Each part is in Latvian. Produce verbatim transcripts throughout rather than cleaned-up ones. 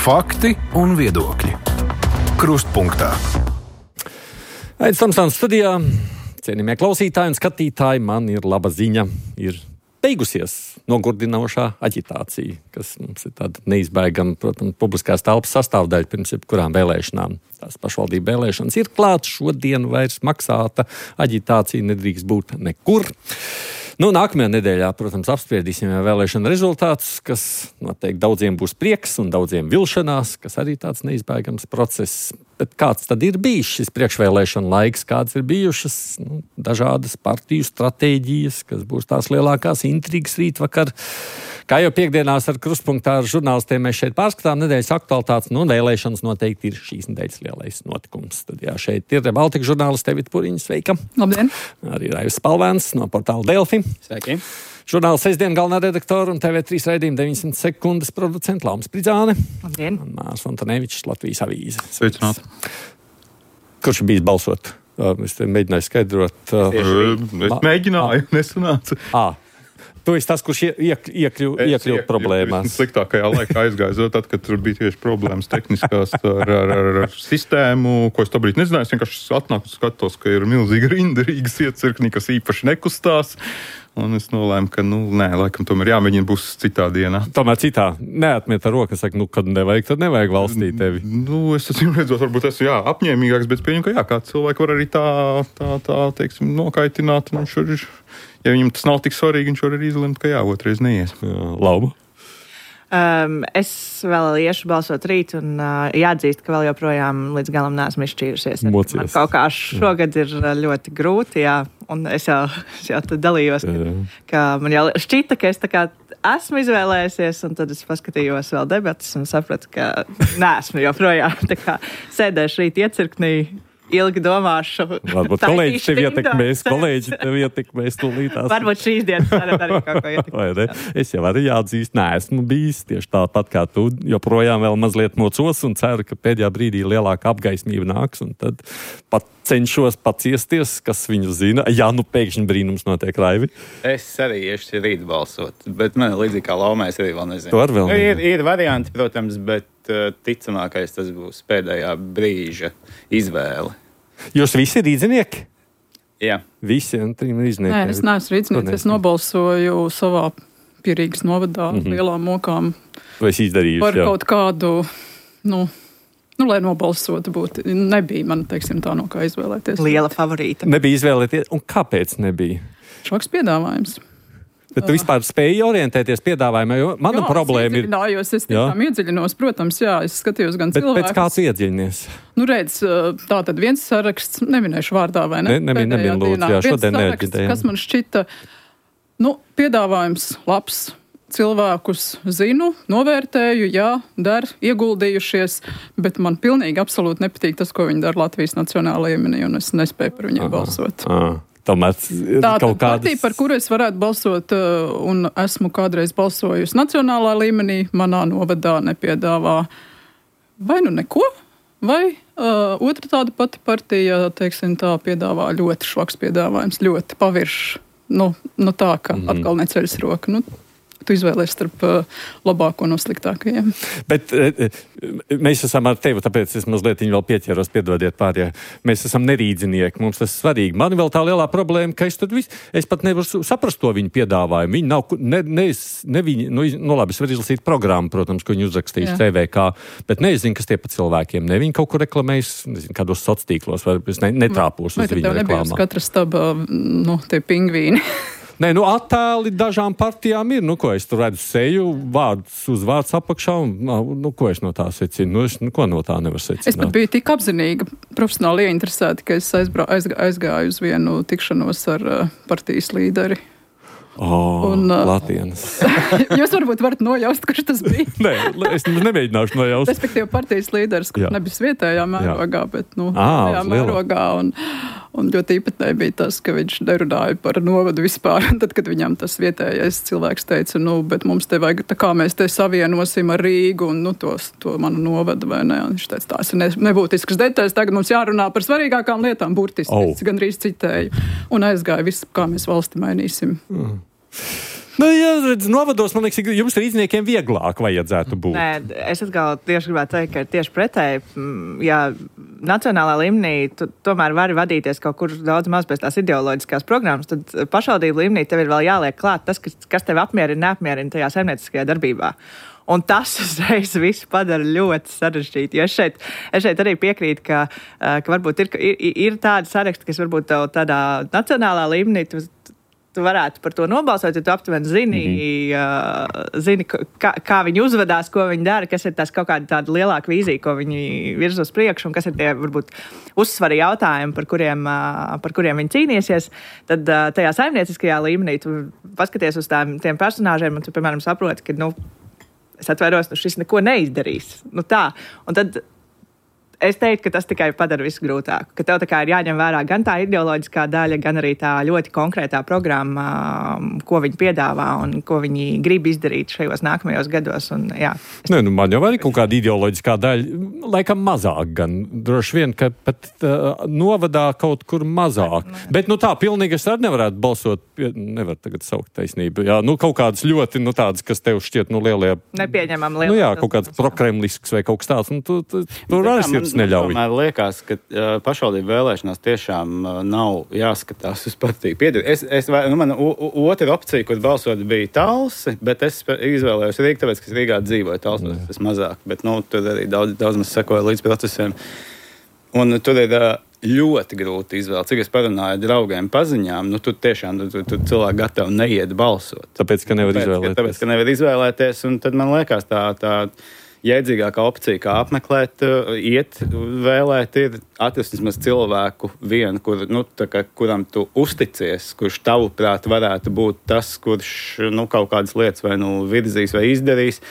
Fakti un viedokļi. Krustpunktā. Aizs Tamsāns studijā. Cienījamie klausītāji un skatītāji, man ir laba ziņa. Ir beigusies nogurdinošā aģitācija, kas mums ir tāda neizbēgama, protams, publiskās telpas sastāvdaļa pirms jebkurām vēlēšanām. Tās pašvaldību vēlēšanas ir klāts, šodien vairs maksāta aģitācija nedrīkst būt nekur. Nu, nākamajā nedēļā, protams, apspriedīsim vēlēšana rezultātus, kas noteikti daudziem būs prieks un daudziem vilšanās, kas arī tāds neizbēgams process. Bet kāds tad ir bijis šis priekšvēlēšana laiks, kādas ir bijušas nu, dažādas partiju stratēģijas, kas būs tās lielākās intrigas rītvakar. Kā jau piekdienās ar Krustpunktā ar žurnālistiem mēs šeit pārskatām nedēļas aktualitātes, nu, vēlēšanas noteikti ir šīs nedēļas lielais notikums. Tad jā, šeit ir Baltika žurnāliste Evita Puriņa, sveika. Labdien. Arī Raivs Spalvēns no portāla Delfi. Sveiki. Žurnāla sestdien galvenā redaktora un T V trīs raidījuma deviņdesmit sekundes producenta Lauma Spridzāne. Labdien. Un Mārs Antonevičs, Latvijas avīze. Sveicināt. Kurš ir bijis balsot? Es te mēģināju skaidrot. Es mēģināju, nesanāca. Ā. Tu esi tas, kurš iek, iekļuv, iekļuv problēmās. Es sliktākajā laikā aizgāju, tad, kad tur bija tieši problēmas tehniskās ar, ar, ar, ar sistēmu, ko es tā brīdī nezināju. Es vienkārši atnāku un skatos, ka ir milzīga rinda Rīgas iecirknī, kas īpaši nekustās. Un es nolēmu, ka, nu, nē, laikam tomēr jāmēģina būs citā dienā. Tomēr citā. Neatmiet ar roku, saka, nu, kad nevajag, tad nevajag valstī tevi. Nu, es esmu redzot, varbūt esmu, jā, apņēmīgāks, bet pieņem, ka jā, kā cilvēki var arī tā, tā, tā, teiksim, nokaitināt. Un viņš ir, ja viņam tas nav tik svarīgi, viņš var arī izlemt, ka jā, otrais neies. Jā, Lauma. Um, es vēl iešu balsot rīt un uh, jāatzīst, ka vēl joprojām līdz galam neesmu izšķīrusies. Mocies. Man kaut kā šogad ir ļoti grūti, jā, un es jau, es jau tad dalījos, ka, ka man jau šķita, ka es tā kā esmu izvēlējusies, un tad es paskatījos vēl debatas un sapratu, ka neesmu joprojām. Tā kā sēdēšu rīt iecirknī. Ilgi domāšu. Varbūt kolēģi tevi ietekmēs, kolēģi tevi ietekmēs tūlītās. Varbūt šīs dienas varat arī kaut ko ietekmēt. Es jau arī jāatzīst, neesmu bijis tieši tāpat kā tu, joprojām vēl mazliet mocos un ceru, ka pēdējā brīdī lielāka apgaismība nāks un tad pat cenšos paciesties, kas viņu zina. Jā, nu pēkšņi brīnums notiek, Raivi. Es arī iešu rīt balsot, bet man līdzīgi kā Laumai es arī vēl nezinu. Tu ar vēl nezinu. Ir, ir varianti, protams, bet ticamākais tas būs pēdējā brīža izvēle. Jūs visi ir rīdzinieki? Jā. Visi un trim rīdzinieki? Nē, es neesmu rīdzinieks, es nobalsoju savā Pierīgas novadā mm-hmm. lielām mokām. Vai es izdarījuši, par jā. Kaut kādu, nu, nu, lai nobalsotu būtu. Nebija man, teiksim, tā no kā izvēlēties. Liela favorīta. Nebija izvēlēties, un kāpēc nebija? Šoks piedāvājums. Bet tu vispār spēji orientēties piedāvājumā, jo mana jā, problēma ir... Jā, es tiešām iedziļinos, protams, jā, es skatījos gan bet cilvēkus. Bet pēc kā tu iedziļinies? Nu, redz, tā tad viens saraksts, neminēšu vārdā, vai ne? Ne, nemin, nemin, lūdzu, jā, šodien neatģitējām. Kas man šķita, nu, piedāvājums labs, cilvēkus zinu, novērtēju, jā, dar, ieguldījušies, bet man pilnīgi absolūti nepatīk tas, ko viņi dara Latvijas nacionālajā līmenī, un es nespēju par viņiem aha, balsot. Aha. Tomēr tā kaut kādas... partija, par kuru es varētu balsot un esmu kādreiz balsojusi nacionālā līmenī, manā novadā nepiedāvā vai nu neko, vai uh, otra tāda pati partija, teiksim tā, piedāvā ļoti švaks piedāvājums, ļoti pavirš, nu, nu tā, ka mm. atkal neceļas roka, nu, tu izvēlies starp uh, labāko no sliktākajiem. Bet e, mēs esam ar tevi, tāpēc es mazliet viņu vēl pieķeros, piedodiet pārējā. Mēs esam nerīdzinieki, mums tas svarīgi. Man vēl tā lielā problēma, ka es, vis, es pat nevaru saprast to viņu piedāvājumu. Viņi nav, ne, ne, ne viņi, nu, nu labi, es varu izlasīt programmu, protams, ko viņi uzrakstījuši T V K, bet nezinu, kas tie pa cilvēkiem. Ne viņi kaut kur reklamējas, nezinu, kādos sociālos, vai es ne, netrāpos uz viņu reklāmā. Vai tad tev nebija uz katra staba, nu, tie pingvīni? Nē, nu attēli dažām partijām ir, nu ko es tur redzu seju, vārds uz vārds apakšā, un nu ko es no tā secinu, nu es nu, ko no tā nevaru secināt. Es pat biju tik apzinīga, profesionāli ieinteresēta, ka es aizbrā, aizgā, aizgāju uz vienu tikšanos ar uh, partijas līderi. Oh, un, uh, Latienas. Jūs varbūt varat nojaust, kurš tas bija. Nē, es nemēģināšu nojaust. Respektīvi partijas līderis, kurš nebija vietējā mērogā, jā. Bet, nu, à, mērogā. Un, un ļoti īpatnēji bija tas, ka viņš nerunāja par novadu vispār. Un tad, kad viņam tas vietējais cilvēks teica, nu, bet mums te vajag, tā kā mēs te savienosim ar Rīgu un, nu, tos, to manu novadu, vai ne? Un viņš teica, tās ir ne, nebūtiskas detaļas, tagad mums jārunā par svarīgākām lietām, burtiski, oh. gandrīz citēju. Un aizgāja viss, kā mēs valsti mainīsim. Mm. Nu, jā, redz, novados, man liekas, jums rīzniekiem vieglāk vajadzētu būt. Nē, es atkal tieši gribētu teikt, ka ir tieši pretēji. Ja nacionālā līmenī tu tomēr vari vadīties kaut kur daudz maz pēc tās ideoloģiskās programmas, tad pašvaldību līmenī tev ir vēl jāliek klāt tas, kas, kas tev apmierina, neapmierina tajā saimnieciskajā darbībā. Un tas uzreiz visu padara ļoti sarežģīti. Jo es šeit, es šeit arī piekrītu, ka, ka varbūt ir, ir, ir tādi saraksti, kas varbūt tev tādā nacionālā līmenī tu, tu varētu par to nobalsot, ja tu aptuveni zini, mm-hmm. uh, zini kā, kā viņi uzvedās, ko viņi dara, kas ir tās kaut kāda tāda lielāka vīzija, ko viņi virz uz priekšu, un kas ir tie varbūt uzsvari jautājumi, par kuriem, uh, par kuriem viņi cīnīsies. Tad uh, tajā saimnieciskajā līmenī tu paskaties uz tām, tiem personāžiem, un tu, piemēram, saproti, ka, nu, es atvairos, nu šis neko neizdarīs. Nu tā. Un tad es teiktu, ka tas tikai padara visu grūtāku. Ka tev tā kā ir jāņem vērā gan tā ideoloģiskā daļa, gan arī tā ļoti konkrētā programma, ko viņi piedāvā un ko viņi grib izdarīt šajos nākamajos gados. Un, jā. Ne, nu, man jau arī kaut kāda ideoloģiskā daļa, laikam mazāk gan. Droši vien, ka pat uh, novadā kaut kur mazāk. Ne, ne. Bet nu tā, pilnīgi es arī nevarētu balsot, nevar tagad saukt taisnību. Jā, nu kaut kādas ļoti, nu tādas, kas tev šķiet, nu lielie... Nepieņemam lielie. Nu jā, kaut kāds prokremlisks vai kaut kas tāds. Un tu, tu, tu arī sirds neļauj. Man liekas, ka uh, pašvaldību vēlēšanās tiešām uh, nav jāskatās uz partiju piedari. Es, es, nu, man u, u, otra opcija, kur balsot, bija Talsi, bet es izvēlējos Rīgu, tāpēc, ka es Rīgā dzīvoju. Talsi tas mazāk, bet nu, tur arī daudz, daudz mēs sekoja līdz procesiem. Un tur ir uh, ļoti grūti izvēlēt. Cik es parunāju draugiem paziņām, nu tur tiešām tu, tu, tu cilvēki gatavi neiet balsot. Tāpēc, ka nevar tāpēc, izvēlēties. Ka, tāpēc, ka nevar izvēlēties, un tad man liekas tā... tā jēdzīgākā opcija, kā apmeklēt, iet, vēlēt, ir atrast vismaz cilvēku vienu, kur, nu, kā, kuram tu uzticies, kurš tavuprāt varētu būt tas, kurš nu, kaut kādas lietas vai nu virzīs vai izdarīs.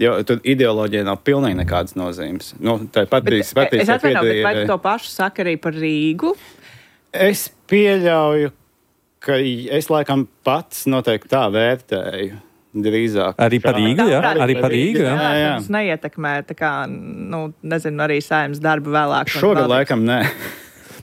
Jo tur ideoloģija nav pilnīgi nekādas nozīmes. Nu, tā ir patīs, bet, patīs, es atvainu, bet vai tu to pašu saka arī par Rīgu? Es pieļauju, ka es laikam pats noteikti tā vērtēju. Drīzāk. Arī par Rīgu, jā? Arī par Rīgu, jā? Jā, jā. Tas neietekmē, tā kā, nu, nezinu, arī saimnes darbu vēlāk. Šogad laikam nē.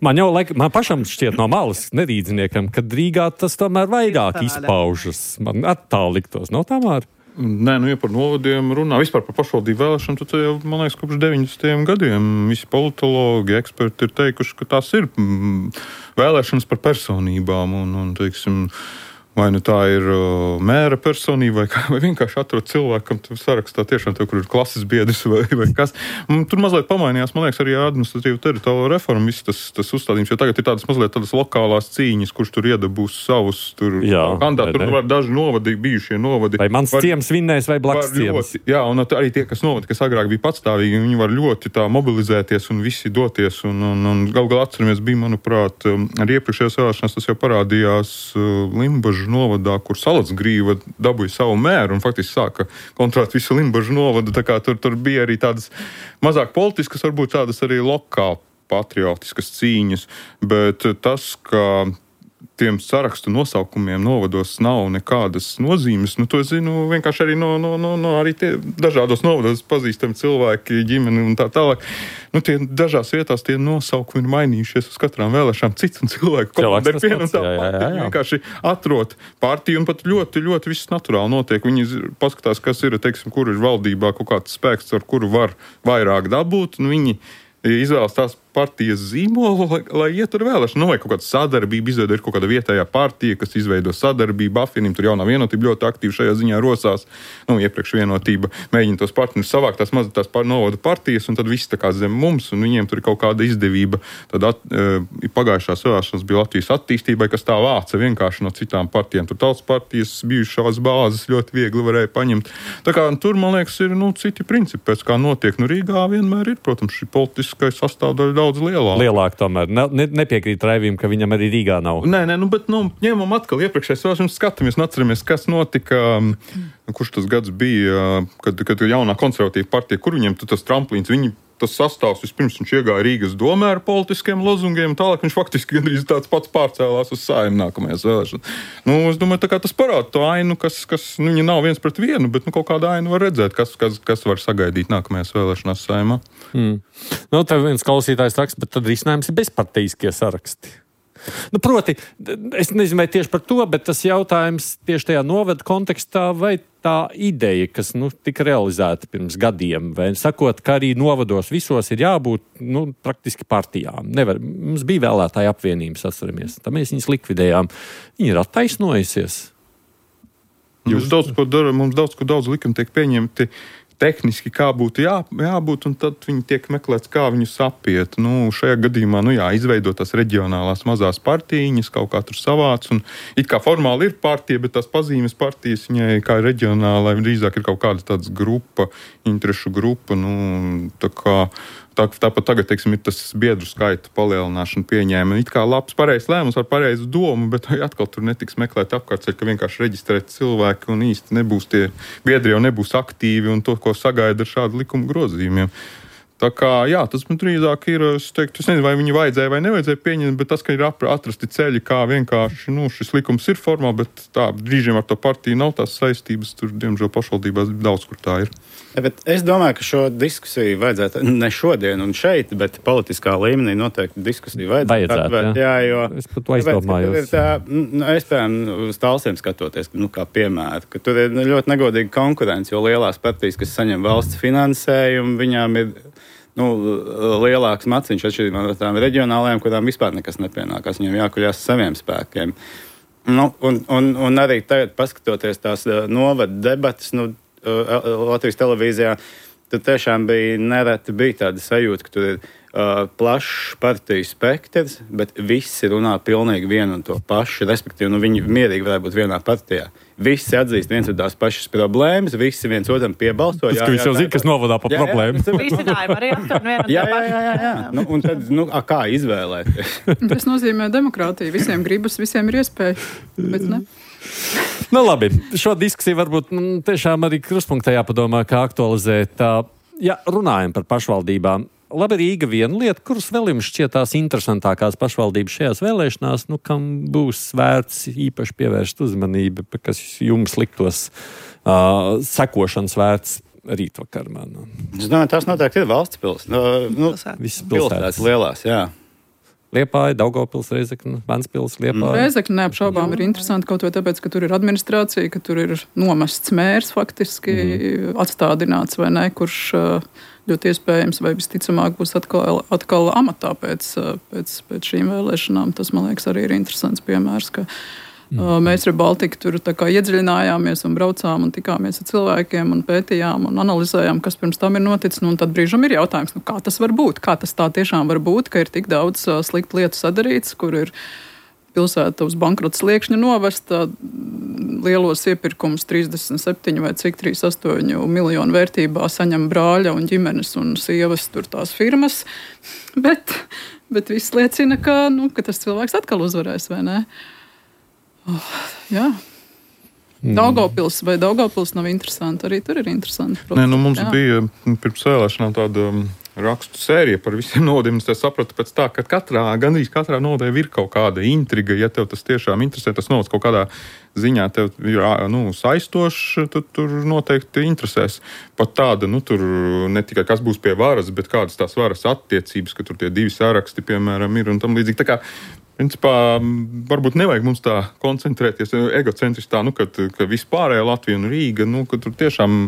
Man jau laik, man pašam šķiet no malas nerīdzniekam, ka Rīgā tas tomēr vairāk izpaužas. Man attāli liktos, nav tā māri? Nē, nu, ja par novadiem runā, vispār par pašvaldību vēlēšanu, tad jau, man liekas, kopš deviņdesmitajiem gadiem visi politologi, eksperti ir teikuši, ka tās ir mm, vēlēšanas par personībām un, un teiksim, vai nu tā ir uh, mēra personība, vai, vai vienkārši atrod cilvēkam sarakstā tiešām tev, kur ir klases biedrs vai, vai kas. Un tur mazliet pamainījās, man liekas, arī administratīva teritoriāla reforma, viss tas, tas uzstādījums, jo tagad ir tādas mazliet tādas lokālās cīņas, kurš tur iedabūs savus tur kandidātus. Tur var daži novadi, bijušie novadi. Vai mans var, ciems vinnēs vai blakus ciems. Ļoti, jā, un arī tie, kas novadi, kas agrāk bija patstāvīgi, viņi var ļoti tā mobilizēties un visi doties. Un, un, un gal galā atceramies, bija, manuprāt, arī iepriekšējās vēlēšanās tas jau parādījās Limbažu novadā, kur Salacgrīva dabūja savu mēru un faktiski sāka kontrolēt visu Limbažu novadu. Tā kā tur, tur bija arī tādas mazāk politiskas, varbūt tādas arī lokāli patriotiskas cīņas, bet tas, ka tiem sarakstu nosaukumiem novados nav nekādas nozīmes, nu to es zinu vienkārši arī no, no, no, no arī tie dažādos novados pazīstami cilvēki, ģimeni un tā tālāk. Nu tie dažās vietās tie nosaukumi ir mainījušies uz katrām vēlēšanām. Cits un cilvēku komanda ir viena un tā pati. Vienkārši atrod partiju un pat ļoti, ļoti viss naturāli notiek. Viņi paskatās, kas ir, teiksim, kur ir valdībā kaut kāds spēks, ar kuru var vairāk dabūt, un viņi izvēlas tās partijas zīmolu, lai, lai iet ar vēlēšanu. Nu, vai kaut kāda sadarbība izveido, ir kaut kāda vietējā partija, kas izveido sadarbību, apvienību, tur jaunā vienotība ļoti aktīvi šajā ziņā rosās. Nu, iepriekš vienotība mēģina tos partnerus savākt, tās mazas tās novada partijas, un tad viss tā kā zem mums, un viņiem tur ir kaut kāda izdevība. Tad at, e, pagājušās vēlēšanas bija Latvijas attīstībai, kas tā vāca vienkārši no citām partijām. Tur tautas partijas bijušās bāzes ļoti viegli varēja paņemt. Tā kā tur, man liekas, ir nu, citi principi, pēc kā notiek. Nu, Rīgā vienmēr ir, protams, šī politiskais sastāvdaļa daudz lielāka. Lielāk tomēr. Ne, nepiekrīt Raivim, ka viņam arī Rīgā nav. Nē, nē, nu, bet nu, ņemam atkal iepriekšējais vēlēšanas skatāmies un atceramies, kas notika, kurš tas gads bija, kad, kad jaunā konservatīva partija, kur viņiem tas tramplīns, viņi tas sastāvs vispirms viņš iegāja Rīgas domē ar politiskiem lozungiem, tālāk viņš faktiski gandrīz tāds pats pārcēlās uz Saeimu nākamajās vēlēšanās. Nu, es domāju, tā kā tas parāda to ainu, kas, kas nu, viņa nav viens pret vienu, bet nu, kaut kāda ainu var redzēt, kas, kas, kas var sagaidīt nākamajās vēlēšanās Saeimā. Mm. Nu, tev viens klausītājs raksta, bet tad risinājums ir bezpartijiskie saraksti. Nu, proti, es nezinu, vai tieši par to, bet tas jautājums tieši tajā novada kontekstā, vai tā ideja, kas nu, tika realizēta pirms gadiem, vai sakot, ka arī novados visos ir jābūt nu, praktiski partijām. Nevar, mums bija vēlētāja apvienības, atceramies, tā mēs viņas likvidējām. Viņa ir attaisnojusies. Jūs daudz ko dara, mums daudz ko daudz likumi tiek pieņemti tehniski, kā būtu jā, jābūt, un tad viņi tiek meklēts, kā viņus apiet. Nu, šajā gadījumā, nu jā, izveidotās reģionālās mazās partijiņas, kaut kā tur savāc, un it kā formāli ir partija, bet tās pazīmes partijas viņai kā reģionālai drīzāk ir kaut kāda tāds grupa, interešu grupa, nu, tā kā Tā, tāpat tagad, teiksim, ir tas biedru skaita palielināšana pieņēma. It kā labs, pareizs lēmums ar pareizu domu, bet atkal tur netiks meklēt apkārtceļ, ka vienkārši reģistrēt cilvēki un īsti nebūs tie biedri jau nebūs aktīvi un to, ko sagaida ar šādu likumu grozījumiem. Tā kā, jā, tas man drīzāk ir, es teiktu, es nezinu, vai viņi vajadzēja vai nevajadzēja pieņemt, bet tas, ka ir atrasti ceļi, kā vienkārši, nu, šis likums ir formāli, bet tā, brīžiem ar to partiju nav tās saistības, tur, diemžēl, pašvaldībās daudz, kur tā ir. Ja, bet es domāju, ka šo diskusiju vajadzētu ne šodien un šeit, bet politiskā līmenī noteikti diskusiju vajadzētu. Vajadzētu, atvērt, jā. jā, jo, es pat to aizdomājos. Tā, nu, es, piemēram, uz Talsiem skatoties, nu, kā piemēru, ka tur ir ļoti negodīga konkurence, jo lielās partijas, kas saņem valsts finansējumu, viņām ir nu, lielāks maciņš atšķirībā no tām reģionālajām, kurām vispār nekas nepienākās. Viņiem jākuļās saviem spēkiem. Nu, un, un, un arī tagad, paskatoties tās novada debatas, nu, Latvijas televīzijā, tur tiešām bija nereti bija tāda sajūta, ka tur ir uh, plašs partiju spektrs, bet visi runā pilnīgi vienu un to pašu, respektīvi, nu, viņi mierīgi varētu būt vienā partijā. Visi atzīst viens un tās pašas problēmas, visi viens otram piebalso. Tas, ka viņš jau zina, kas novadā pa problēmu. Risinājumi arī aptur vienu un jā, to jā, pašu. jā, jā, jā. Nu, un tad, nu, a, kā izvēlēties? Tas nozīmē demokrātiju. Visiem gribas, visiem ir iespēja, bet ne. Nu, labi, šo diskusiju varbūt nu, tiešām arī krustpunktā jāpadomā, kā aktualizēt. Tā, ja runājam par pašvaldībām, labi Rīga viena lieta, kuras vēl jums šķietās interesantākās pašvaldības šajās vēlēšanās, nu, kam būs vērts īpaši pievērst uzmanību, kas jums liktos uh, sekošanas vērts rītvakar, man. Es domāju, tās noteikti ir valsts pils. Nu, nu, Visas pilsētas pilsētas. lielās, jā. Liepāja, Daugavpils, Reizekne, Ventspils, Liepāja. Reizekne neapšaubām ir interesanti kaut vai tāpēc, ka tur ir administrācija, ka tur ir nomests mērs faktiski, mm. atstādināts vai ne, kurš ļoti iespējams vai visticamāk būs atkal, atkal amatā pēc, pēc, pēc šīm vēlēšanām. Tas, man liekas, arī ir interesants piemērs, ka mm. mēs ar Baltiku tur tā kā iedziļinājāmies un braucām un tikāmies ar cilvēkiem un pētījām un analizējām, kas pirms tam ir noticis. Nu, un tad brīžam ir jautājums, nu, kā tas var būt? Kā tas tā tiešām var būt, ka ir tik daudz uh, sliktu lietu sadarīts, kur ir pilsēta uz bankrota sliekšņa novesta, lielos iepirkumus trīsdesmit septiņi vai cik trīsdesmit astoņi miljonu vērtībā saņem brāļa un ģimenes un sievas tur tās firmas. Bet, bet viss liecina, ka, nu, ka tas cilvēks atkal uzvarēs, vai ne? Oh, jā. Daugavpils vai Daugavpils nav interesanti. Arī tur ir interesanti. Nē, nu, mums jā. bija pirms vēlēšanām tāda rakstu sērija par visiem novadiem. Es sapratu pēc tā, ka katrā, gandrīz katrā novadē ir kaut kāda intriga. Ja tev tas tiešām interesē, tas novads kaut kādā ziņā tev ir nu, saistošs, tad tur noteikti interesēs. Pat tāda, nu, tur ne tikai kas būs pie varas, bet kādas tās varas attiecības, ka tur tie divi saraksti, piemēram, ir un tam līdzīgi. Tā kā principā, varbūt nevajag mums tā koncentrēties egocentriski tā, nu, ka, ka vispārējā Latvija un Rīga, nu, ka tur tiešām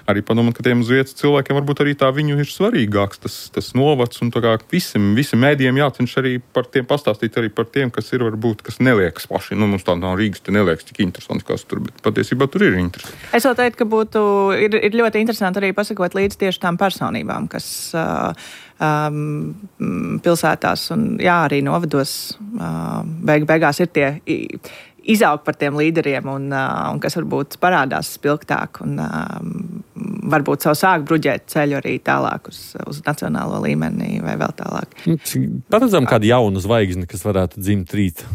arī padomāt, ka tiem uz vietas cilvēkiem varbūt arī tā viņu ir svarīgāks tas, tas novads, un tā kā visiem, visiem mēdījiem jācenš arī par tiem pastāstīt, arī par tiem, kas ir varbūt, kas neliekas paši. Nu, mums tā no Rīgas te neliekas tik interesanti, kas tur, bet patiesībā tur ir interesanti. Es vēl teiktu, ka būtu, ir, ir ļoti interesanti arī pasakot līdz tieši tām personībām, kas uh, um, pilsētās un jā, arī novados uh, beig, beigās ir tie izaug par tiem līderiem un, uh, un kas varbūt parādās spilgtāk un uh, varbūt savu sāk bruģēt ceļu arī tālāk uz, uz nacionālo līmeni vai vēl tālāk. Paredzam kādu jaunu zvaigzni, kas varētu dzimt rīt.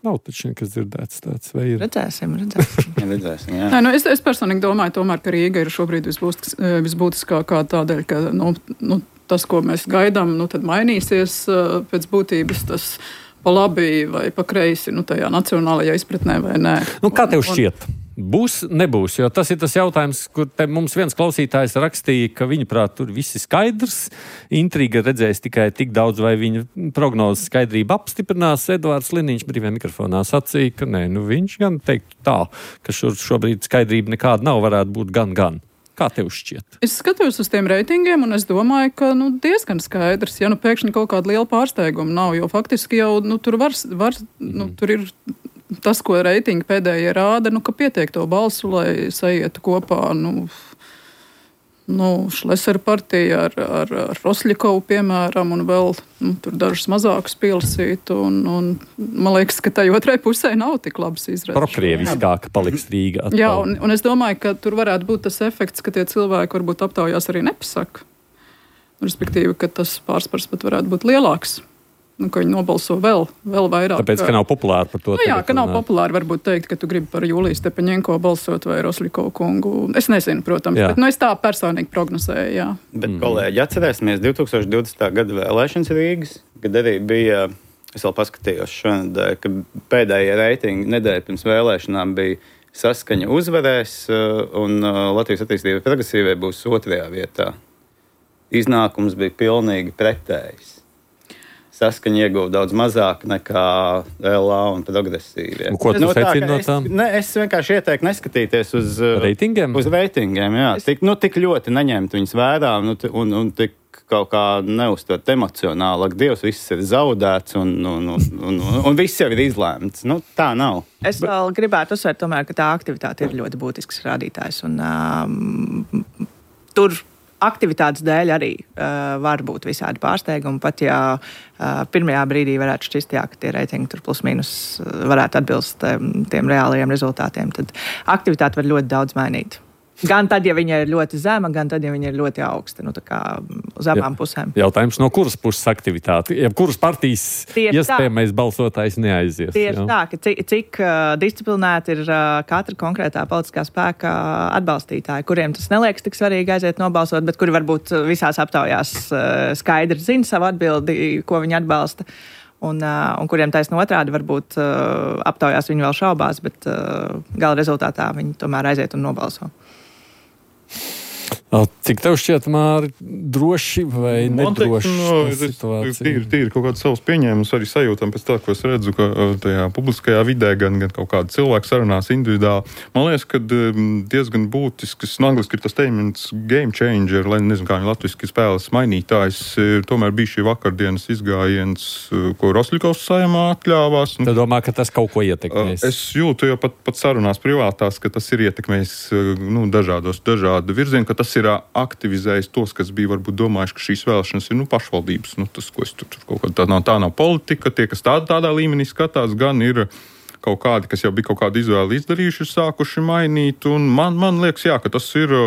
Nav taču nekas dzirdēts tāds, vai ir? Redzēsim, redzēsim. jā, redzēsim jā. Nē, nu es, es personīgi domāju, tomēr, ka Rīga ir šobrīd visbūtis, visbūtiskākā tādēļ, ka nu, nu, tas, ko mēs gaidām, nu, tad mainīsies pēc būtības tas pa labi vai pa kreisi, nu, tajā nacionālajā izpratnē vai nē. Nu, kā tev šķiet? Būs, nebūs, jo tas ir tas jautājums, kur te mums viens klausītājs rakstīja, ka viņuprāt tur viss ir skaidrs. Intriga redzēs tikai tik daudz, vai viņa prognozes skaidrība apstiprinās. Edvards Liniņš brīvajā mikrofonā sacīja, ka nē, nu viņš gan teiktu tā, ka šur, šobrīd skaidrība nekāda nav, varētu būt gan, gan. Kā tev šķiet? Es skatos uz tiem reitingiem, un es domāju, ka nu, diezgan skaidrs, ja nu pēkšņi kaut kāda liela pārsteiguma nav, jo faktiski jau nu, tur, var, var, nu, tur ir tas, ko reitingi pēdējie rāda, nu, ka pietiek to balsu, lai saietu kopā, nu, nu Šlesera partija ar, ar, ar Rosļikovu, piemēram, un vēl nu, tur dažas mazākas pilsītu, un, un man liekas, ka tai otrai pusē nav tik labas izredzes. Prokrieviskāka paliks Rīga atkal. Jā, un, un es domāju, ka tur varētu būt tas efekts, ka tie cilvēki varbūt aptaujās arī nepasaka. Respektīvi, ka tas pārspars pat varētu būt lielāks. Nu, ka viņi nobalso vēl, vēl vairāk. Tāpēc, ka nav populāri par to. Nu, jā, ka nav populāri varbūt teikt, ka tu gribi par Juliju Stepaņenko balsot vai Rosļikovu kungu. Es nezinu, protams, jā. Bet nu, es tā personīgi prognozēju, jā. Bet, mm. kolēģi, atcerēsimies divtūkstoš divdesmitā gada vēlēšanas Rīgas, kad arī bija, es vēl paskatījos šonadēļ, ka pēdējie reitingi nedēļa pirms vēlēšanām bija Saskaņa uzvarēs un Latvijas attīstība progresīvai būs otrajā vietā. Iznākums bija pilnīgi pretējs. Saskaņa ieguva daudz mazāk nekā L A un progresīvie. Ko tu nu, secini no tām? Es, ne, es vienkārši ieteiktu neskatīties uz reitingiem. Uz reitingiem, jā. Tik, nu, tik ļoti neņemt viņus vērā nu, un, un tik kaut kā neuztvert emocionāli. Dievs, viss ir zaudēts un, un, un, un, un, un viss jau ir izlēmts. Nu, tā nav. Es vēl gribētu uzsvērt, tomēr, ka tā aktivitāte ir ļoti būtisks rādītājs. Un, um, tur aktivitātes dēļ arī uh, var būt visādi pārsteigumi, pat ja uh, pirmajā brīdī varētu šķist, jā, ka tie reitingi tur plus mīnus varētu atbilst um, tiem reālajiem rezultātiem, tad aktivitāte var ļoti daudz mainīt. Gan tad, ja viņa ir ļoti zema, gan tad, ja viņa ir ļoti augsta. Nu, tā kā uz abām Jā. pusēm. Jautājums, no kuras puses aktivitāte? Ja kuras partijas iespējamais balsotājs neaizies? Tieši jā. tā, ka cik, cik uh, disciplinēti ir uh, katra konkrētā politiskā spēka atbalstītāji, kuriem tas neliekas tik svarīgi aiziet nobalsot, bet kuri varbūt visās aptaujās uh, skaidri zina savu atbildi, ko viņi atbalsta. Un, uh, un kuriem taisno otrādi varbūt uh, aptaujās viņi vēl šaubās, bet uh, gala rezultātā viņi tomēr aiziet un nobalso. Cik tev šķiet, Māri, droši vai nedroši no, situācija? Tīri, tīri kaut kāds savs pieņēmums arī sajūtam pēc tā, ko es redzu, ka tajā publiskajā vidē gan, gan kaut kāda cilvēka sarunās individuāli. Man liekas, ka diezgan būtisks, no angliski ir tas teikums game changer, lai nezinu, kā viņi latviski spēles mainītājs, tomēr bija šī vakardienas izgājiens, ko Rosļikovs saimā atļāvās. Tu domā, ka tas kaut ko ietekmēs? Es jūtu jau pat, pat sarunās privātās, ka tas ir ietekmējis nu, dažādos, dažādu virzienu, ka tas ir aktivizējis tos, kas bija varbūt domājuši, ka šīs vēlēšanas ir nu, pašvaldības. Nu, tas, ko es tur, tur kaut kā tā nav, tā nav politika. Tie, kas tā, tādā līmenī skatās, gan ir kaut kādi, kas jau bija kaut kādu izvēli izdarījuši, sākuši mainīt. Un man, man liekas, jā, ka tas ir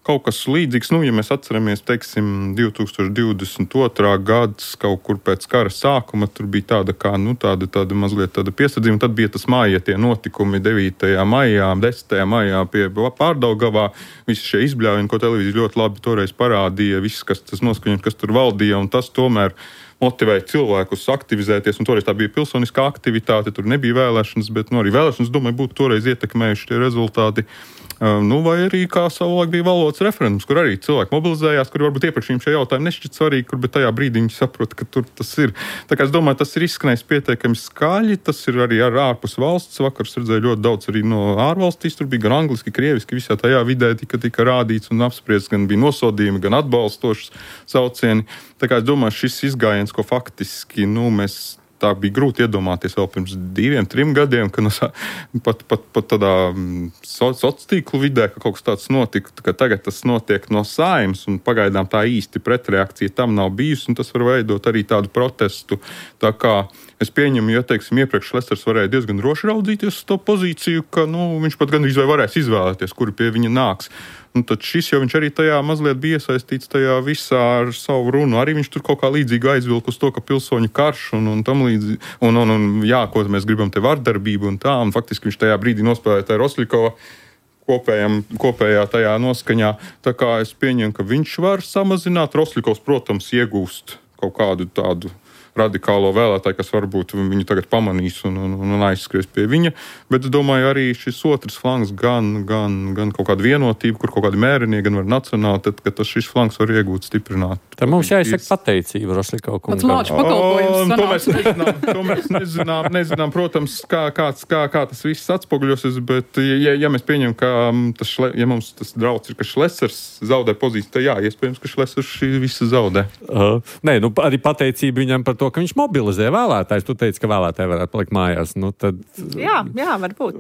kaut kas līdzīgs. Nu, ja mēs atceramies, teiksim, divtūkstoš divdesmit otrā gads, kaut kur pēc kara sākuma, tur bija tāda kā, nu, tāda, tāda mazliet tāda piesardzība. Tad bija tas māja tie notikumi devītajā maijā, desmitajā maijā pie Pārdaugavā. Visi šie izbļāvieni, ko televīzija ļoti labi toreiz parādīja, viss, kas tas noskaņot, kas tur valdīja, un tas tomēr motivēja cilvēkus aktivizēties, un toreiz tā bija pilsoniskā aktivitāte, tur nebija vēlēšanas, bet nu, arī vēlēšanas, domāju, būtu toreiz ietekmējuši tie rezultāti. Uh, nu, vai arī kā savulaik bija valodas referendums, kur arī cilvēki mobilizējās, kuri varbūt iepriekš viņiem šie jautājumi nešķiet svarīgi, kur, bet tajā brīdī viņi saprot, ka tur tas ir. Tā kā es domāju, tas ir izskanējis pietiekami skaļi, tas ir arī ar ārpus valsts. Vakar es redzēju ļoti daudz arī no ārvalstīs, tur bija gan angliski, krieviski, visā tajā vidē tika, tika rādīts un apspriests, gan bija nosodījumi, gan atbalstošas saucieni. Tā kā es domāju, šis izgājiens, ko faktiski, nu, mēs tā bija grūti iedomāties vēl pirms diviem, trim gadiem, ka no, pat, pat, pat tādā sociālo tīklu vidē, ka kaut kas tāds notika, ka tagad tas notiek no Saeimas, un pagaidām tā īsti pretreakcija tam nav bijusi, un tas var veidot arī tādu protestu. Tā kā es pieņemu, ja, teiksim, iepriekš Šlesers varēja diezgan droši raudzīties uz to pozīciju, ka, nu, viņš pat gandrīz vai varēs izvēlēties, kuri pie viņa nāks. Un tad šis jau viņš arī tajā mazliet bija iesaistīts tajā visā ar savu runu. Arī viņš tur kaut kā līdzīgi aizvilka uz to, ka pilsoņu karš un, un tam līdzīgi, un, un, un jā, ko mēs gribam te vardarbību un tā, un faktiski viņš tajā brīdī nospēlēja tā Rosļikova kopējam, kopējā tajā noskaņā. Tā kā es pieņemu, ka viņš var samazināt. Rosļikovs, protams, iegūst kaut kādu tādu radikālo vēlētāju, kas varbūt viņu tagad pamanīs un, un, un aizskries pie viņa. Bet es domāju, arī šis otrs flanks, gan, gan, gan kaut kāda vienotība, kur kaut kādi mērenie, gan var nacionāli, tad, ka tas šis flanks var iegūt, stiprināt. Tad mums jāizsaka pateicība Rošļikova kungam. Pats lāču pakalpojums to mēs nezinām, to mēs nezinām, nezinām, protams, kā, kāds, kā, kā tas viss atspoguļosies, bet ja, ja mēs pieņemam, ka tas, šle, ja mums tas drauds ir, ka Šlesers zaudē pozīciju, tad jā, iespējams, ka Šlesers šī visa zaudē. Uh, nē, nu arī pateicība viņam par to, ka viņš mobilizē vēlētājs. Tu teici, ka vēlētāji varētu palikt mājās. Nu, tad... Jā, jā, varbūt.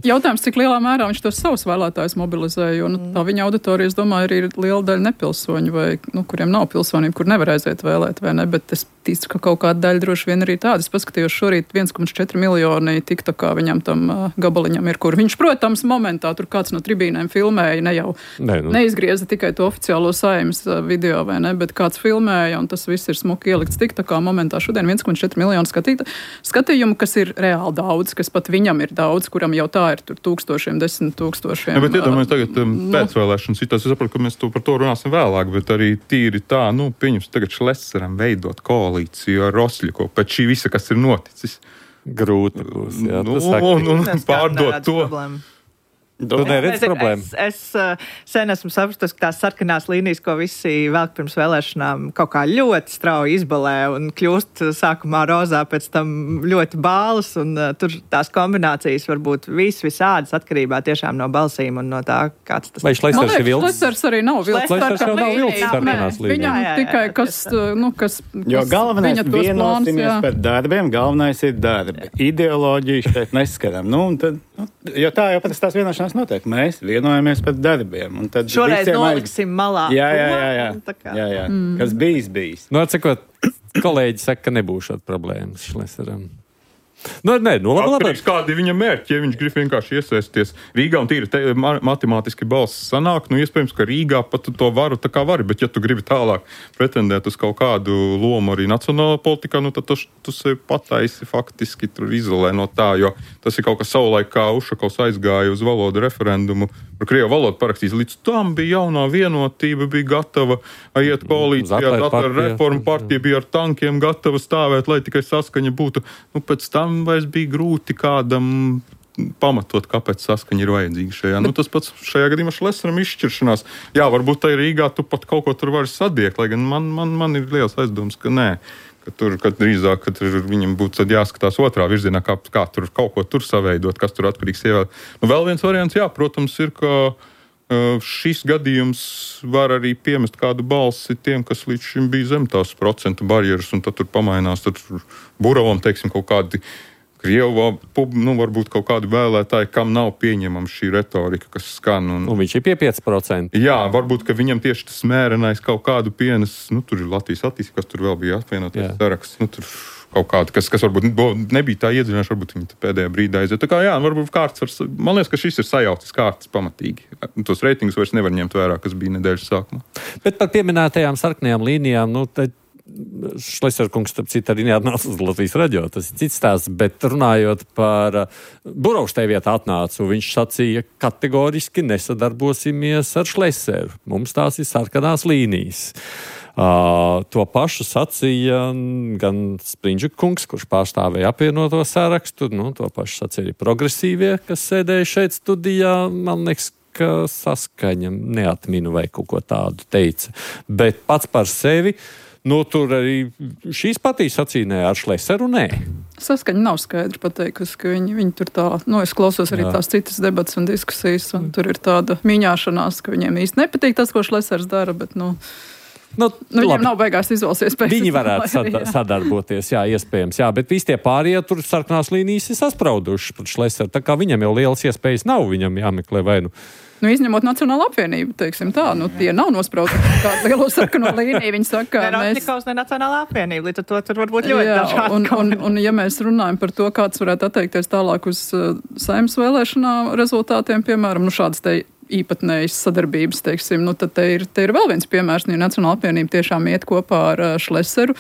Jautājums, cik lielā mērā viņš tos savus vēlētājus mobilizē, jo nu, tā viņa auditorija, es domāju, arī ir liela daļa nepilsoņu, vai, nu, kuriem nav pilsonība, kur nevar aiziet vēlēt, vai ne, bet es ticu, ka kaut kāda daļa droši vien arī tāda. Es paskatījos šorīt viens komats četri miljoni tikta, kā viņam tam uh, gabaliņam ir, kur viņš, protams, momentā tur kāds no tribīnēm filmēja, ne jau ne, nu. neizgrieza tikai to oficiālo Saeimas uh, video, vai ne, bet kāds filmēja, un tas viss ir smuki ielikts tikta, kā momentā šodien viens komats četri miljoni skatīt, skatījumu, kas ir reāli daudz, kas pat viņam ir daudz, kuram jau tā ir tur tūkstošiem, desmit tūkstošiem. Ja, bet iedomājies tagad um, no. pēcvēlēšanas situāciju, es saprotu, ka mēs to par to runāsim vēlāk, bet arī tīri tā, nu, pieņems tagad Šleseram veidot koalīciju ar Rošļikovu pēc šī visa, kas ir noticis. Grūti būs, jā. Nu, un, un, un pārdot to. Problēmu. Tu neredz problēmu? Es, es uh, sen esmu sapratis, ka tās sarkanās līnijas, ko visi velk pirms vēlēšanām, kaut kā ļoti strauji izbalē un kļūst sākumā rozā, pēc tam ļoti bālas, un uh, tur tās kombinācijas var būt vis visādas atkarībā tiešām no balsīm un no tā, kāds tas ir. Vai Šlesers ir vilks? Šlesers arī nav vilks. Šlesers jau nav vilks sarkanās līnijas. Viņam tikai kas, nu, kas, jo kas galvenais vienosimies par darbiem, galvenais ir darbi. Ideoloģiju šeit neskaram. Nu, un tad, nu, jo tā jau pat tās vienošanās notiek. Mēs vienojamies par darbiem. Un tad šoreiz noliksim malā. Jā, jā, jā. jā. jā, jā. Mm. Kas bijis, bijis. Nu, atsakot, kolēģi saka, ka nebūs šāda problēmas Šleseram. Nu, nē, nu, labi, labi. Kādi ir viņa mērķi, ja viņš grib vienkārši iesaisties Rīgā un tīri te, matemātiski balss sanāk, nu, iespējams, ka Rīgā pat to varu tā kā vari, bet ja tu gribi tālāk pretendēt uz kaut kādu lomu arī nacionālā politikā, nu, tad tu, tu sevi pataisi faktiski tur izolē no tā, jo tas ir kaut kas savulaik, kā Ušakovs aizgāja uz valodu referendumu, par krievu valodu parakstīs, līdz tam bija jaunā vienotība, bija gatava iet koalīcijā, ar reformu partija bija ar tankiem gatava stāvēt, lai tikai saskaņa būtu, nu, pēc tam vairs bija grūti kādam pamatot, kāpēc saskaņa ir vajadzīga šajā. Nu, tas pats šajā gadījumā Šleseram izšķiršanās. Jā, varbūt tai Rīgā tu pat kaut ko tur vari sadiekt, lai gan man, man, man ir liels aizdoms, ka nē. Ka tur, kad drīzāk, kad viņam būtu jāskatās otrā virzienā, kā, kā tur kaut ko tur saveidot, kas tur atkarīgs ievēl. Nu, vēl viens variants, jā, protams, ir, ka uh, šis gadījums var arī piemest kādu balsi tiem, kas līdz šim bija zem tās procentu barjeras, un tad tur pamainās, tad tur Buravam, teiksim, kaut kādi Krievā, nu, varbūt kaut kādi vēlētāji, kam nav pieņemama šī retorika, kas skan. Un, un viņš ir pie pieci procenti. Jā, varbūt, ka viņam tieši tas mērenais kaut kādu pienes, nu, tur ir Latvijas attīstība, kas tur vēl bija apvienoties saraksts, nu, tur kaut kādu, kas, kas varbūt nebija tā iedzinājuši, varbūt viņi pēdējā brīdā aiziet. Tā kā, jā, varbūt kārts var, man liekas, ka šis ir sajaucis kārtas pamatīgi. Tos reitingus vairs nevar ņemt vērā, kas bija nedēļas sākumā. Bet par pieminētajām sarkanajām līnijām, nu, tad Šlesers kungs, starp citu, arī neatnāca uz Latvijas radio, tas ir cits stāsts, bet runājot par Burovs tej vietā atnācu, viņš sacīja, kategoriski nesadarbosimies ar Šleseru. Mums tās ir sarkanās līnijas. Uh, to pašu sacīja gan Sprindžuka kungs, kurš pārstāvēja apvienoto sarakstu, nu, to pašu sacīja arī progresīvie, kas sēdēja šeit studijā, man liekas, ka Saskaņa neatminu vai kaut ko tādu teica. Bet pats par sevi, nu, tur arī šīs patīs sacīnē ar Šleseru, nē. Saskaņa nav skaidri pateikusi, ka viņi, viņi tur tā, nu, es klausos arī Jā. Tās citas debatas un diskusijas, un tur ir tāda mīņāšanās, ka viņiem īsti nepatīk tas, ko Šlesers dara, bet, nu, Nu, nu, viņiem nav beigās izvēlsies pēc. Viņi varētu sada- sadarboties, jā, iespējams, jā, bet visi tie pārējie tur sarkanās līnijas ir sasprauduši pret Šleseru, tā kā viņam jau lielas iespējas nav, viņam jāmeklē vai nu. Nu, izņemot Nacionālo apvienību, teiksim tā, nu, tie nav nosprausti kādu lielo sarkano līniju, viņi saka, ne mēs... Rošļikovs, ne Nacionālā apvienība, līdz ar to tur varbūt ļoti dažādi. Un, un, un, ja mēs runājam par to, kāds varētu atteikties tālāk uz uh, Saeimas vēlēšanā rezultātiem, piemēram, nu, šādas te īpatnējas sadarbības, teiksim, nu, tad te ir, te ir vēl viens piemērs, ja Nacionāla apvienība tiešām iet kopā ar uh, Šleseru.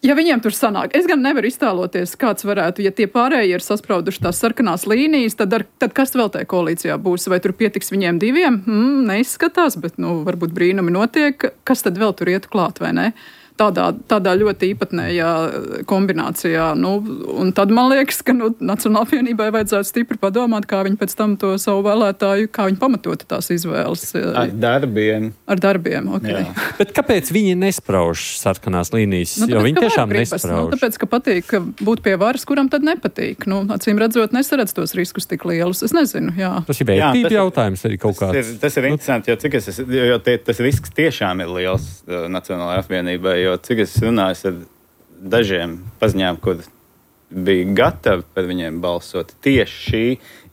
Ja viņiem tur sanāk, es gan nevaru iztēloties, kāds varētu, ja tie pārējie ir sasprauduši tās sarkanās līnijas, tad, ar, tad kas vēl tajā koalīcijā būs? Vai tur pietiks viņiem diviem? Hmm, neizskatās, bet, nu, varbūt brīnumi notiek. Kas tad vēl tur iet klāt, vai ne? tādā, tādā ļoti īpatnējā kombinācijā. Nu, un tad man liekas, ka nu, Nacionālajai apvienībai vajadzētu stipri padomāt, kā viņi pēc tam to savu vēlētāju, kā viņi pamatota tās izvēles. Ar darbiem. Ar darbiem, ok. Jā. Bet kāpēc viņi nesprauž sarkanās līnijas? Nu, tāpēc, jo viņi tiešām gribas, nesprauž. Nu, tāpēc, ka patīk būt pie varas, kuram tad nepatīk. Nu, acīm redzot, nesaredz tos riskus tik lielus. Es nezinu, jā. Tas ir vērtība jā, jautājums arī kaut tas kāds. Ir, tas ir interesanti, jo, cik es, jo tie, tas risks tiešām ir liels uh, Nacionālajai apvienībai, jo cik es runāju ar dažiem paziņām, kur bija gatavi par viņiem balsot tieši šī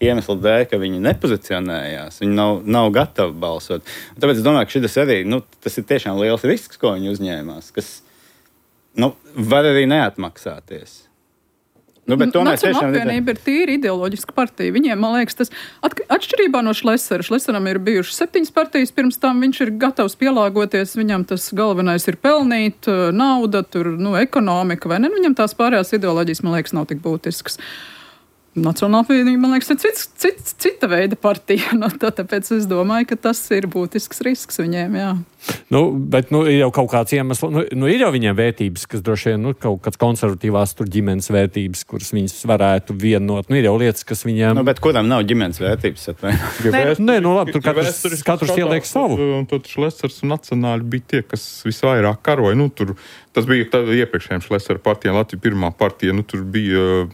iemesla dēļ, ka viņi nepozicionējās, viņi nav, nav gatavi balsot. Un tāpēc es domāju, ka šis arī, nu, tas ir tiešām liels risks, ko viņi uzņēmās, kas, nu, var arī neatmaksāties. Nu, Nacionālā apvienība ir tīri ideoloģiska partija. Viņiem, man liekas, tas atšķirībā no Šlesera. Šleseram ir bijušas septiņas partijas, pirms tam viņš ir gatavs pielāgoties. Viņam tas galvenais ir pelnīt, nauda, tur, nu, ekonomika, vai ne? Viņam tās pārējās ideoloģijas, man liekas, nav tik būtiskas. Nacionālā apvienība, man liekas, ir cits, cits, cita veida partija. Nu, tā, tāpēc es domāju, ka tas ir būtisks risks viņiem, jā. Nu, bet nu, ir jau kaut kāds iemesls, nu, nu ir jau viņiem vērtības, kas droši vien, nu, kaut kāds konservatīvās tur ģimenes vērtības, kuras viņas varētu vienot. Nu, ir jau lietas, kas viņiem... Nu, bet kuram nav ģimenes vērtības? Nē, nē, nu labi, tur katrs, katrs ieliek savu. Un tad Šlesers un nacionāļi bija tie, kas visvairāk karoja. Nu, tur, tas bija iepriekšējiem Šlesera partijām, Latvija pirmā partija, nu, tur bija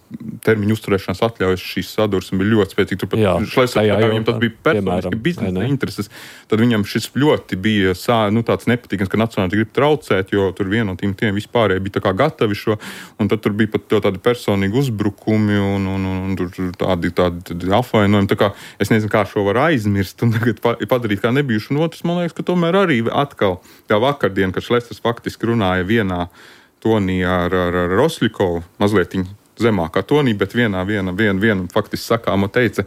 termiņu uzturēšanās atļaujas, šīs sadursme bija ļoti spēcīgi. Tur pat Šlesera, viņam tas bija personiski biznesa intereses, tad viņam šis ļoti bija sā, nu, tāds nepatīkams, ka nacionāli grib traucēt, jo tur vienotīm tiem vispārēji bija tā kā gatavi šo, un tad tur bija pat tādi personīgi uzbrukumi un, un, un, un tur tādi, tādi, tādi apvainojumi. Tā kā es nezinu, kā šo var aizmirst un tagad padarīt kā nebijuši. Un otrs, man liekas, ka tomēr arī atkal tā vakardien, kad Šlesers faktiski runāja vienā tonī ar, ar, ar Rosļikovu, mazliet zemākā tonī, bet vienā, viena, viena, viena faktiski sakāma teica,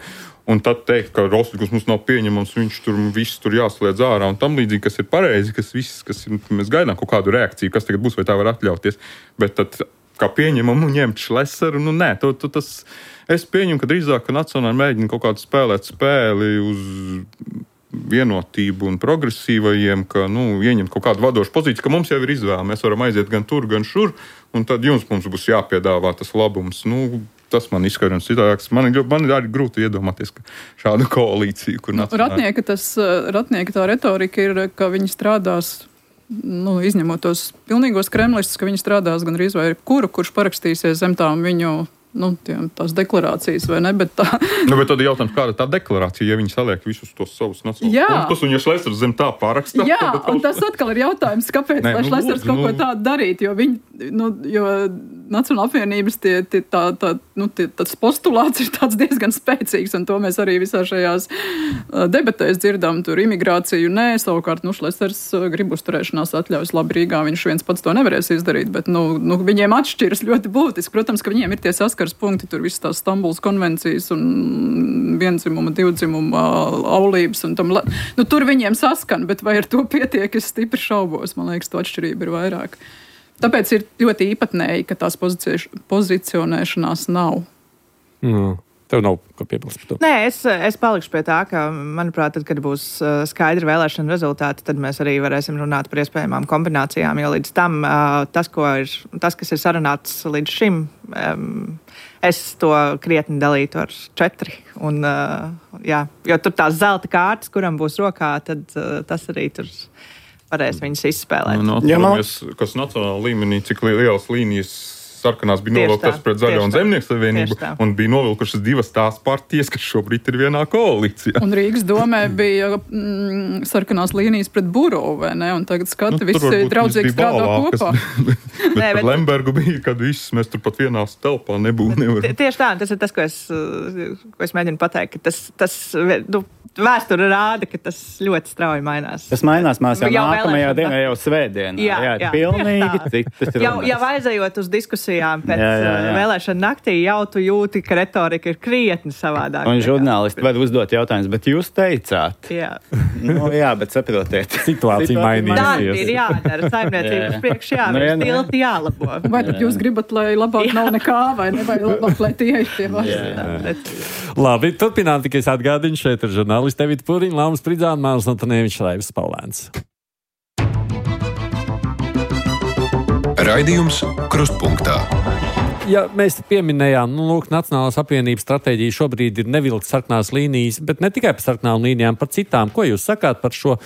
un tad teikt, ka Rosļikovs mums nav pieņemams, viņš tur viss tur jāsliedz ārā un tam līdzīgi, kas ir pareizi, kas viss, kas ir, mēs gaidām kaut kādu reakciju, kas tagad būs, vai tā var atļauties, bet tad kā pieņemamu ņemt Šleseru, nu nē, to, to tas, es pieņemu, ka drīzāk, ka nacionāli mēģina kaut kādu spēlēt spēli uz vienotību un progresīvajiem, ka, nu, ieņemt kaut kādu vadošu pozīciju, ka mums jau ir izvēle, mēs varam aiziet gan tur, gan šur, un tad jums mums būs jāpiedāvā tas labums, nu, tas man izskaidrojums citāks. Man ir, man ir arī grūti iedomāties, ka šādu koalīciju, kur nacionāli... Ratnieka, tas, Ratnieka tā retorika ir, ka viņi strādās, nu, izņemot tos pilnīgos kremlistus, ka viņi strādās gan arī vai kuru, kurš parakstīsies zem tām viņu, nu, tiem, tās deklarācijas, vai ne, bet tā... Nu, bet tad ir jautājums, kāda tā deklarācija, ja viņi saliek visus tos savus nacionālos punktus, un ja Šlesers zem tā parakstā... Jā, un tas atkal ir jautājums, kāpēc, Nē, lai nu, Šlesers kaut nu... ko tādu darītu, jo viņi, nu, jo Nacionālā apvienības tie, tie, tā, tā, nu, tie, tas postulāts ir tāds diezgan spēcīgs, un to mēs arī visā šajās debatēs dzirdam, tur imigrāciju nē, savukārt, nu, Šlesers grib uzturēšanās atļaujas labi Rīgā, viņš viens pats to nevarēs izdarīt, bet, nu, nu viņiem atšķiras ļoti būtiski. Protams, ka viņiem ir tie saskars punkti, tur visas tās Stambulas konvencijas un vienzimuma, divdzimuma aulības, un tam, nu, tur viņiem saskan, bet vai ar to pietiek, es stipri šaubos, man liekas, to atšķirība ir vairāk. Tāpēc ir ļoti īpatnēji, ka tās pozicionēšanās nav. Mm. Tev nav ko piebilst par to? Nē, es, es palikšu pie tā, ka, manuprāt, tad, kad būs skaidri vēlēšana rezultāti, tad mēs arī varēsim runāt par iespējamām kombinācijām, jo līdz tam tas, ko ir, tas kas ir sarunāts līdz šim, es to krietni dalītu ar četri. Un, jā, jo tur tās zelta kārtas, kuram būs rokā, tad tas arī tur varēs viņus izspēlēt. Nu, atceramies, kas nacionāla līmenī, cik lielas līnijas sarkanās bija novilktas pret Zaļo un Zemnieku savienību, un bija novilkušas divas tās partijas, kas šobrīd ir vienā koalīcijā. Un Rīgas domē bija mm, sarkanās līnijas pret Burovu, vai ne? Un tagad skati nu, visi draudzīgi strādā kopā. bet bet Nē, bet Lembergu bija, kad viss mēs tur pat vienā telpā nebūtu nevaram. Tieši tā, tas ir tas, ko es, ko es mēģinu pateikt, ka tas, tas nu, vēsture rāda, ka tas ļoti strauji mainās. Tas mainās, mēs jau, jau nākamajā dienā, jau svētdienā. Jā, jā, jā pilnīgi citas runas. Jau, jau aizējot uz diskusijām pēc jā, jā, jā. vēlēšana naktī, jau tu jūti, ka retorika ir krietni savādāk. Un žurnālisti var uzdot jautājumus, bet jūs teicāt. Jā. nu, jā, bet saprotiet. Situācija mainīsies. Darbi ir jādara, saimniecības priekš jāvēr, nu, stilti jālabo. Vai tad jūs gribat, lai labāk nav nekā, vai ne, vai labāk, lai tie ir pie varas? Labi, turpinām tikai es atgādinu, šeit ir žurnālisti Evita Puriņa, Laumas Pridzāna, Mārs Antonievičs, Raivs Paulēns. Raidījums Krustpunktā. Ja mēs pieminējām, nu, lūk, Nacionālās apvienības stratēģija šobrīd ir nevilkt sarkanās līnijas, bet ne tikai par sarkanām līnijām, par citām. Ko jūs sakāt par šo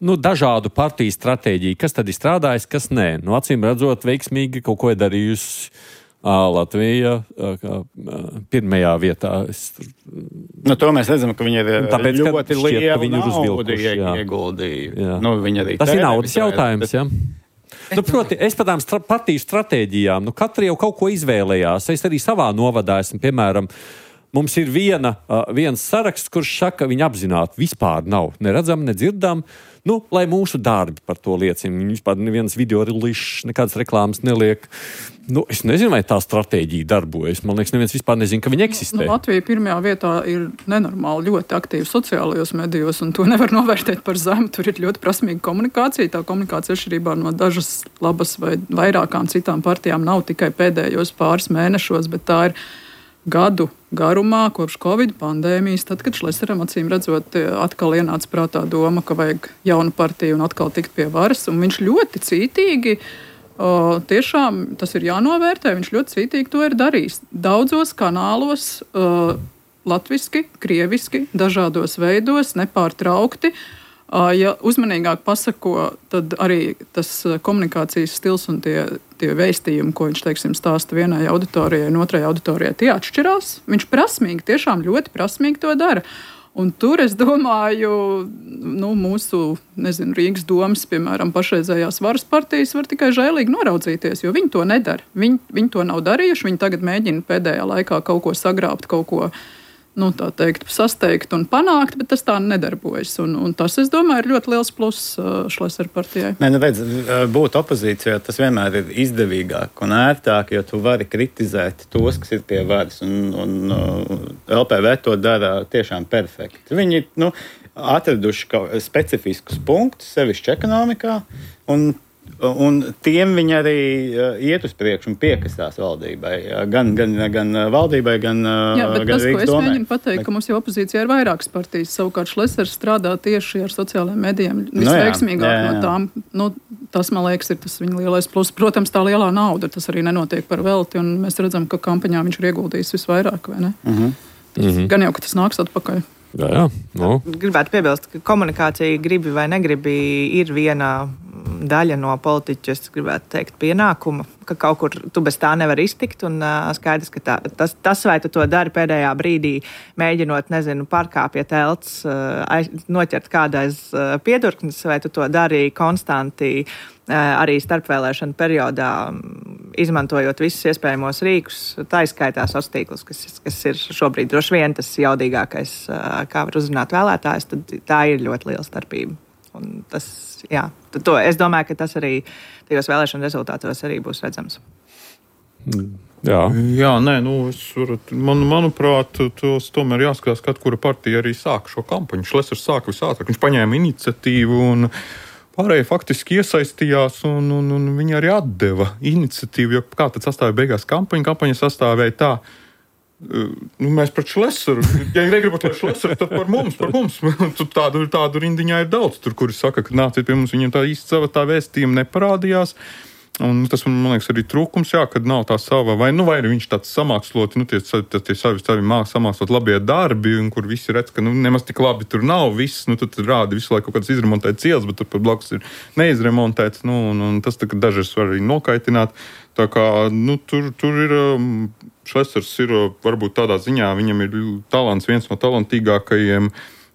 nu, dažādu partiju stratēģiju? Kas tad ir strādājis, kas nē? Nu, acīm redzot, veiksmīgi kaut ko ir darījusi Latvija pirmajā vietā. Es... Nu, to mēs redzam, ka viņi ir Tāpēc, ļoti lielu naudu jā. ieguldīju. Nu, arī tas ir naudas jautājums, jā. Nu, proti, es par tām stra- partiju stratēģijām, nu, katra jau kaut ko izvēlējās. Es arī savā novadā esmu, piemēram, mums ir viena, uh, viens saraksts, kurš saka, viņi apzināti vispār nav neredzam, nedzirdam, nu, lai mūsu darbi par to liecina. Viņi vispār neviens video rulīšs, nekādas reklāmas neliek. Nu, es nezinu, vai tā stratēģija darbojas. Man liekas, neviens vispār nezina, ka viņi eksistē. Nu, Latvija pirmajā vietā ir nenormāli ļoti aktīva sociālajos medijos, un to nevar novērtēt par zemu. Tur ir ļoti prasmīga komunikācija. Tā komunikācija atšķirībā no dažas labas vai vairākām citām partijām nav tikai pēdējos pāris mēnešos, bet tā ir gadu garumā, kopš Covid pandēmijas, tad, kad Šleseram acīm redzot atkal ienāca prātā doma, ka vajag jaunu partiju un atkal tikt pie varas, un viņš ļoti cītīgi Uh, tiešām tas ir jānovērtē, viņš ļoti cītīgi to ir darījis. Daudzos kanālos, uh, latviski, krieviski, dažādos veidos, nepārtraukti. Uh, ja uzmanīgāk pasako, tad arī tas komunikācijas stils un tie, tie vēstījumi, ko viņš, teiksim, stāsta vienai auditorijai un otrai auditorijai, tie atšķirās. Viņš prasmīgi, tiešām ļoti prasmīgi to dara. Un tur, es domāju, nu, mūsu, nezinu, Rīgas domas, piemēram, pašreizējās varas partijas var tikai žēlīgi noraudzīties, jo viņi to nedara. Viņi, viņi to nav darījuši, viņi tagad mēģina pēdējā laikā kaut ko sagrābt, kaut ko, nu, tā teikt, sasteigt un panākt, bet tas tā nedarbojas. Un, un tas, es domāju, ir ļoti liels pluss uh, Šlesera partijai. Nē, nu, redz, būt opozīcijā, tas vienmēr ir izdevīgāk un ērtāk, jo tu vari kritizēt tos, kas ir pie varas. Un, un uh, L P V to dara tiešām perfekti. Viņi, nu, atraduši kaut specifiskus punktus, sevišķi ekonomikā, un Un tiem viņi arī uh, iet uz priekšu un piekasās valdībai. Gan, gan, gan valdībai, gan, jā, gan tas, Rīgas domai. Jā, bet tas, ko es mēģinu pateikt, ka mums jau opozīcijā ir vairākas partijas. Savukārt Šlesers strādā tieši ar sociālajiem medijiem. Visveiksmīgāk no, jā, jā, jā. no tām. Nu, tas, man liekas, ir tas viņa lielais plus. Protams, tā lielā nauda, tas arī nenotiek par velti. Un mēs redzam, ka kampaņā viņš ir ieguldījis visvairāk, vai ne? Mhm. Mm-hmm. Gan jau, ka tas nāks atpakaļ. Jā, jā. No. Gribētu piebilst, ka komunikācija gribi vai negribi ir viena daļa no politiķa, es gribētu teikt, pienākuma, ka kaut kur tu bez tā nevar iztikt, un uh, skaidrs, ka tā, tas, tas, vai tu to dari pēdējā brīdī, mēģinot, nezinu, pārkāpja telts, uh, aiz, noķert kādais uh, piedurknis, vai tu to dari konstanti uh, arī starpvēlēšana periodā, izmantojot visus iespējamos rīkus, tā izskaitā sociālos tīklus, kas, kas ir šobrīd droši vien tas jaudīgākais, uh, kā var uzrunāt vēlētājs, tad tā ir ļoti liela starpība. Un tas, jā, to, es domāju, ka tas arī tajos vēlēšanu rezultātos arī būs redzams. Jā, Jā nē, nu, es varu, man, manuprāt, tos tomēr jāskatās, kad kura partija arī sāka šo kampaņu. Šlesers sāka visātrāk, viņš paņēma iniciatīvu un pārējie faktiski iesaistījās, un, un, un viņi arī atdeva iniciatīvu, jo kā tad sastāvēja beigās kampaņa? Kampaņa sastāvēja tā, nu, mēs pret Šleseru, ja negribat par Šleseru, tad par mums, par mums. Tādu, tādu rindiņā ir daudz, tur, kuri saka, ka nāciet pie mums, viņiem tā īsti sava tā vēstījuma neparādījās. Un tas, man liekas, arī trūkums, jā, kad nav tā sava, vai, nu, vai viņš tāds samāksloti, nu, tie, tie, tie savi, savi māk samākslot labie darbi, un kur visi redz, ka, nu, nemaz tik labi tur nav viss, nu, tad rāda visu laiku kaut kādas izremontētas ielas, bet tur pat blakus ir neizremontēts, nu, un, un tas tā, ka dažas var arī nokaitināt. Tā kā, nu, tur, tur ir, Šlesers ir, varbūt tādā ziņā, viņam ir talants, viens no talantīgākajiem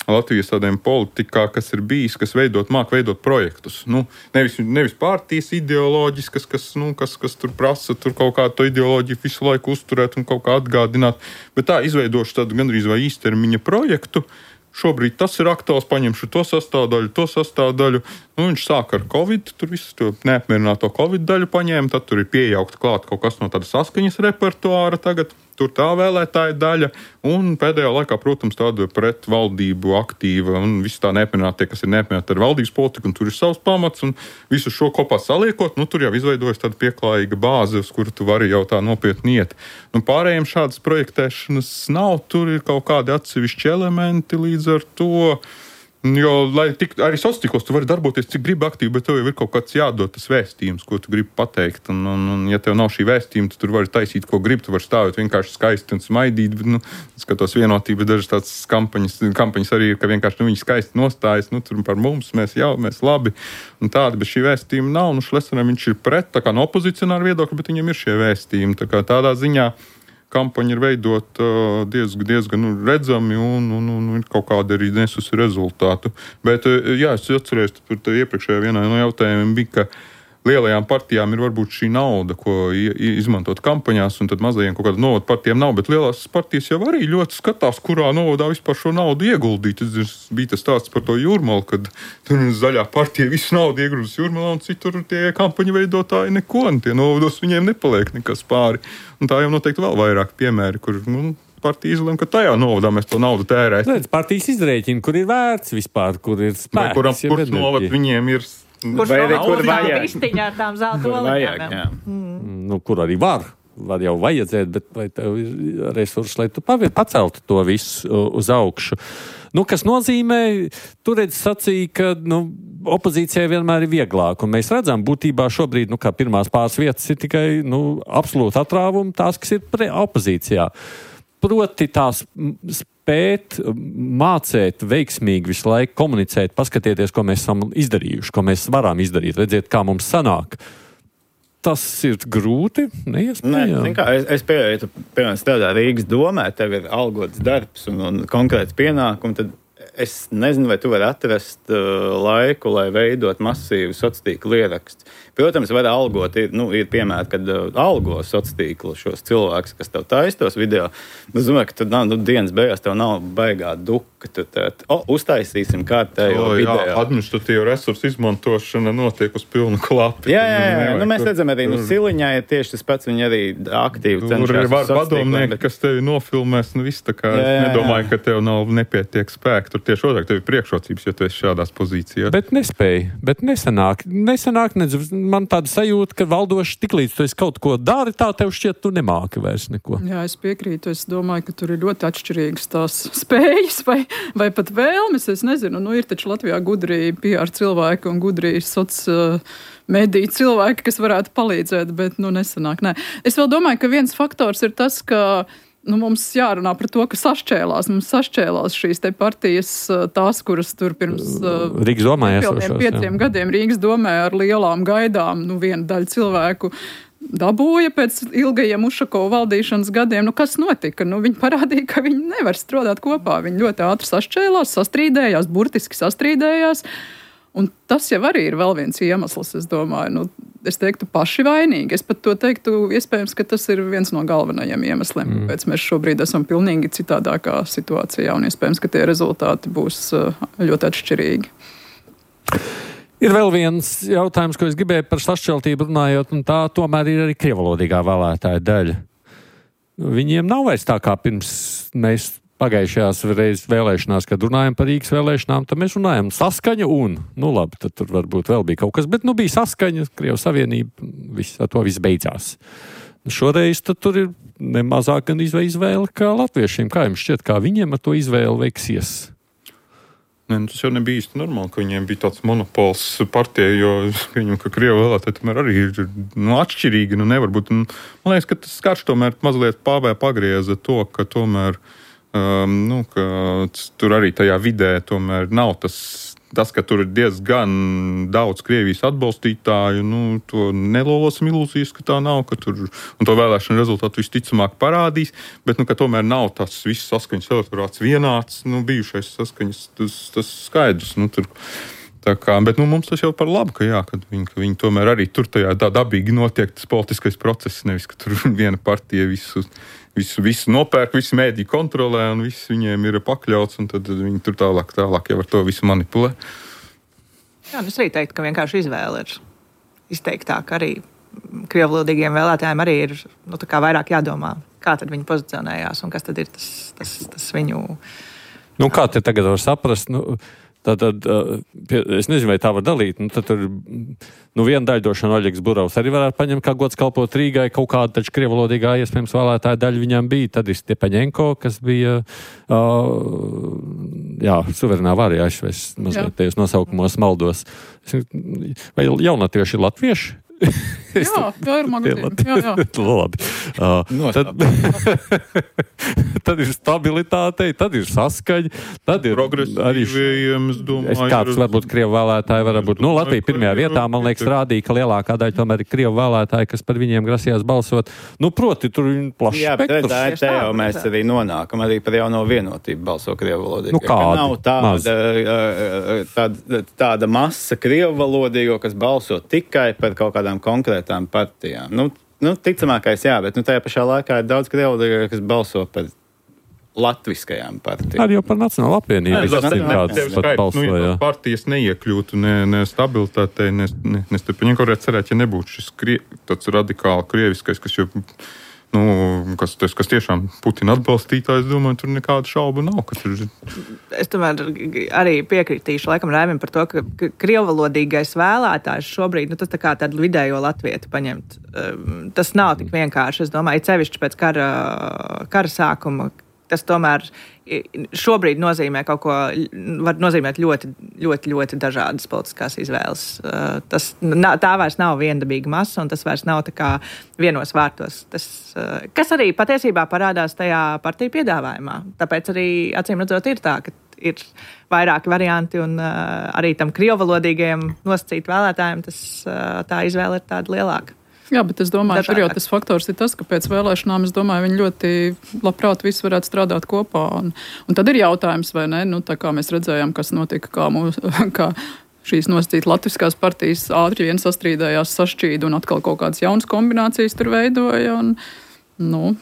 Latvijas tādiem politikā, kas ir bijis, kas veidot, māk veidot projektus. Nu, nevis, nevis partijas ideoloģiskas, kas, nu, kas, kas tur prasa tur kaut kādu to ideoloģiju visu laiku uzturēt un kaut kā atgādināt, bet tā izveidošu tādu gandrīz vai īstermiņa projektu. Šobrīd tas ir aktuāls, paņemšu to sastāvdaļu, to sastāvdaļu. Nu, viņš sāk ar Covid, tur visu to neapmierināto Covid daļu paņēma, tad tur ir piejaukta klāt kaut kas no tāda saskaņas repertuāra tagad. Tur tā vēlētāja daļa, un pēdējā laikā, protams, tāda pret valdību aktīva, un viss tā neapmierinātie, kas ir neapmierināti ar valdības politiku, un tur ir savs pamats, un visu šo kopā saliekot, nu, tur jau izveidojas tāda pieklājīga bāze, uz kuru tu vari jau tā nopietni iet. Nu, pārējiem šādas projektēšanas nav, tur ir kaut kādi atsevišķi elementi, līdz ar to, Jo, lai tik, arī sociālos tīklos tu vari darboties, cik gribi aktīvi, bet tev jau ir kaut kāds jādod tas vēstījums, ko tu gribi pateikt. Un, un, un ja tev nav šī vēstījuma, tad tu vari taisīt, ko gribi. Tu vari stāvēt vienkārši skaisti un smaidīt. Bet, nu, skatos vienotību, dažas tādas kampaņas, kampaņas arī ir, ka vienkārši nu, viņi skaisti nostājas. Nu, tur par mums, mēs jau, mēs labi. Un tāda, bet šī vēstījuma nav. Nu, Šlesenam viņš ir pret, tā kā no opozicionāra viedokļa, bet viņam ir šie vēstījumi. Tā kā tādā ziņā kampaņa ir veidot uh, diezgan, diezgan nu, redzami un, un, un, un kaut kāda arī nesusi rezultātu. Bet, uh, jā, es atceros, par tā iepriekšējā vienā no jautājumiem bija, ka lielajām partijām ir varbūt šī nauda, ko izmantot kampaņās, un tad mazajiem kaut kāda novada partijām nav, bet lielās partijas jau arī ļoti skatās, kurā novadā vispār šo naudu ieguldīt. Tas bija tas stāsts par to Jūrmalu, kad tur zaļā partija visu naudu iegrūzis Jūrmalā, un citur tie kampaņu veidotāji neko, un tie novados viņiem nepaliek nekas pāri. Un tā jau noteikti vēl vairāk piemēri, kur, nu, partija izlem, ka tajā novadā mēs to naudu tērēsim. Redz, partijas izrēķina, kur ir vērts vispār, kur ir spēks. Vai kuram, kurš novad viņiem ir... Kurš Vai arī nav kur uz vajag? vistiņā ar tām zelta oliņām? Nu, kur arī var. Var jau vajadzēt, bet vai tev ir resursi, lai tu paceltu to visu uz augšu. Nu, kas nozīmē, tu redz sacīja, ka nu, opozīcijai vienmēr ir vieglāk. Un mēs redzam, būtībā šobrīd, nu, kā pirmās pāris vietas ir tikai nu, absolūti atrāvumi tās, kas ir pre opozīcijā. Proti tās spēt, mācēt, veiksmīgi visu laiku komunicēt, paskatieties, ko mēs esam izdarījuši, ko mēs varam izdarīt, redziet, kā mums sanāk. Tas ir grūti, neiespējami. Nē, kā, es, es pieeju, piemēram, strādā Rīgas domē, tev ir algots darbs un, un konkrēts pienākumi, tad es nezinu, vai tu vari atrast uh, laiku, lai veidot masīvu sociālo tīklu ierakstu. Protams, var algot, ir, nu, ir piemēri, kad uh, algo sociālo tīklu šos cilvēkus, kas tev taistos video. Es domāju, ka tad nav, nu, dienas beigās tev nav baigā duka. Tad, tad o, uztaisīsim kārtējo o, video. Jā, administratīva resursu izmantošana notiek uz pilnu klapi. Jā, jā, jā. Nu, mēs redzam arī, nu, Siliņā ir tieši tas pats, viņi arī aktīvi cenšas. Tur ir var padomnieki, bet... kas tevi nofilmēs, nu viss tā kā, jā, jā, jā. Es nedomāju, ka tev nav nepietiek spēku. Tur tieši otrāk, tev ir priekšrocības, ja tu esi šādās pozīcijās. Bet nespēja, bet nesanāk. Nesanāk, nedz, man tāda sajūta, ka valdoši tiklīdz tu esi kaut ko dari, tā tev šķiet, tu nemāki vairs neko. Jā, es piekrītu. Es domāju, ka tur ir ļoti atšķirīgas tās spējas vai, vai pat vēlmes. Es nezinu, nu ir taču Latvijā gudrī P R cilvēki un gudrī soc uh, mediju cilvēki, kas varētu palīdzēt, bet nu nesanāk. Nē. Es vēl domāju, ka viens faktors ir tas, ka nu, mums jārunā par to, ka sašķēlās. Mums sašķēlās šīs te partijas, tās, kuras tur pirms Rīgas domē esošās, pieciem jā. gadiem Rīgas domē ar lielām gaidām, nu, viena daļa cilvēku dabūja pēc ilgajiem Ušakova valdīšanas gadiem. Nu, kas notika? Nu, viņi parādīja, ka viņi nevar strādāt kopā. Viņi ļoti ātri sašķēlās, sastrīdējās, burtiski sastrīdējās. Un tas jau arī ir vēl viens iemesls, es domāju, nu, es teiktu paši vainīgi. Es pat to teiktu, iespējams, ka tas ir viens no galvenajiem iemesliem, mm. kāpēc mēs šobrīd esam pilnīgi citādākā situācijā, un iespējams, ka tie rezultāti būs ļoti atšķirīgi. Ir vēl viens jautājums, ko es gribēju par sašķeltību runājot, un tā tomēr ir arī krievalodīgā vēlētāja daļa. Viņiem nav vairs tā kā pirms mēs pagājušajās reizes vēlēšanās, kad runājam par Rīgas vēlēšanām, tad mēs runājam saskaņa un, nu labi, tad tur varbūt vēl bija kaut kas, bet nu bija saskaņa, Krievijas Savienība, viss, ar to viss beidzās. Šoreiz tad tur ir nemazāk gan izvēle kā latviešiem. Kā jums šķiet, kā viņiem ar to izvēli veiksies? Ne, nu, tas jau nebija īsti normāli, ka viņiem bija tāds monopols partijai, jo viņam, ka Krievu vēlētāji tomēr arī ir nu, atšķirīgi, nu nevar būt. Un, man liekas, ka tas Karš tomēr mazliet pāvē pagrieza to, ka tomēr Um, nu, ka tur arī tajā vidē tomēr nav tas, tas, ka tur ir diezgan daudz Krievijas atbalstītāju, nu, to nelolosim ilūzijas, ka tā nav, ka tur, un to vēlēšanu rezultātu visticamāk parādīs, bet, nu, ka tomēr nav tas viss saskaņas elektorāts vienāds, nu, bijušais saskaņas, tas, tas skaidrs, nu, tur. Tā kā, bet nu, mums tas jau par labu, ka, jā, ka, viņi, ka viņi tomēr arī tur tajā tā dabīgi notiek tas politiskais process, nevis, ka tur viena partija visu, visu, visu nopērk, visu mēdī kontrolē un viss viņiem ir pakļauts, un tad viņi tur tālāk, tālāk jau ar to visu manipulē. Jā, es arī teiktu, ka vienkārši izvēle ir izteiktāk arī krievlodīgiem vēlētājiem arī ir nu, tā kā vairāk jādomā, kā tad viņi pozicionējās un kas tad ir tas, tas, tas viņu... Nu, kā te tagad var saprast, nu... Tad, tad, es nezinu, vai tā var dalīt. Nu, tad tur nu, viena daļa došana Oļegs Burovs arī varētu paņemt, kā gods kalpot Rīgai. Kaut kāda taču krievalodīgā iespējams vēlētāja daļa viņam bija. Tad ir Stepaņenko, kas bija uh, jā, suverenā vārī aizvest mazliet tajos nosaukumos maldos. Vai jaunatieši ir latvieši? Jā, jā, ir magazīni. Jā, jā. Labi. Uh, tad, tad ir stabilitāte, tad ir saskaņa, tad ir arī domāju, es kāds varbūt Krievu vēlētāji var būt. Nu, Latvija pirmajā vietā, man liekas, rādīja, ka lielākā daļa tomēr ir Krievu vēlētāji, kas par viņiem grasījās balsot. Nu, proti, tur ir plašs jā, spektrs. Jā, bet te jau mēs arī nonākam arī par jauno vienotību balso Krievu valodīgo. Nu, kādi? Nav tāda, tāda, tāda masa Krievu valodīgo, kas balso tikai par kaut kādām konkrētām partijām. Nu, nu, ticamākais jā, bet nu, tajā pašā laikā ir daudz Krievu, kas balso par latviskajām partijām. Arī jau par Nacionālo apvienību. Es zinu, kādas pat balsoja. Nu, ja partijas neiekļūtu ne, ne stabilitātei, ne, ne, ne starpiem. Kaut varētu cerēt, ja nebūtu šis krie, tāds radikāli krieviskais, kas jau, nu, kas, tas, kas tiešām Putina atbalstītājs, domāju, tur nekāda šauba nav. Ka tur... Es tomēr arī piekritīšu laikam Raimim par to, ka krievvalodīgais vēlētājs šobrīd, nu, tas tā kā tādu vidējo latvietu paņemt. Tas nav tik vienkārši, es domāju, cevišķi pēc kara, kara sākuma. Tas tomēr šobrīd nozīmē kaut ko, var nozīmēt ļoti, ļoti, ļoti dažādas politiskās izvēles. Tas, tā vairs nav viendabīga masa, un tas vairs nav tā kā vienos vārtos. Tas, kas arī patiesībā parādās tajā partiju piedāvājumā. Tāpēc arī, acīm redzot, ir tā, ka ir vairāki varianti, un arī tam krievvalodīgajiem nosacīt vēlētājiem tas, tā izvēle ir tāda lielāka. Jā, bet es domāju, ka tas faktors ir tas, ka pēc vēlēšanām, es domāju, viņi ļoti labprāt visi varētu strādāt kopā. Un, un tad ir jautājums, vai ne, nu, tā kā mēs redzējām, kas notika, kā, mūs, kā šīs nosacīt latviskās partijas ātri vien sastrīdējās, sašķīda un atkal kaut kādas jaunas kombinācijas tur veidoja. Un, nu,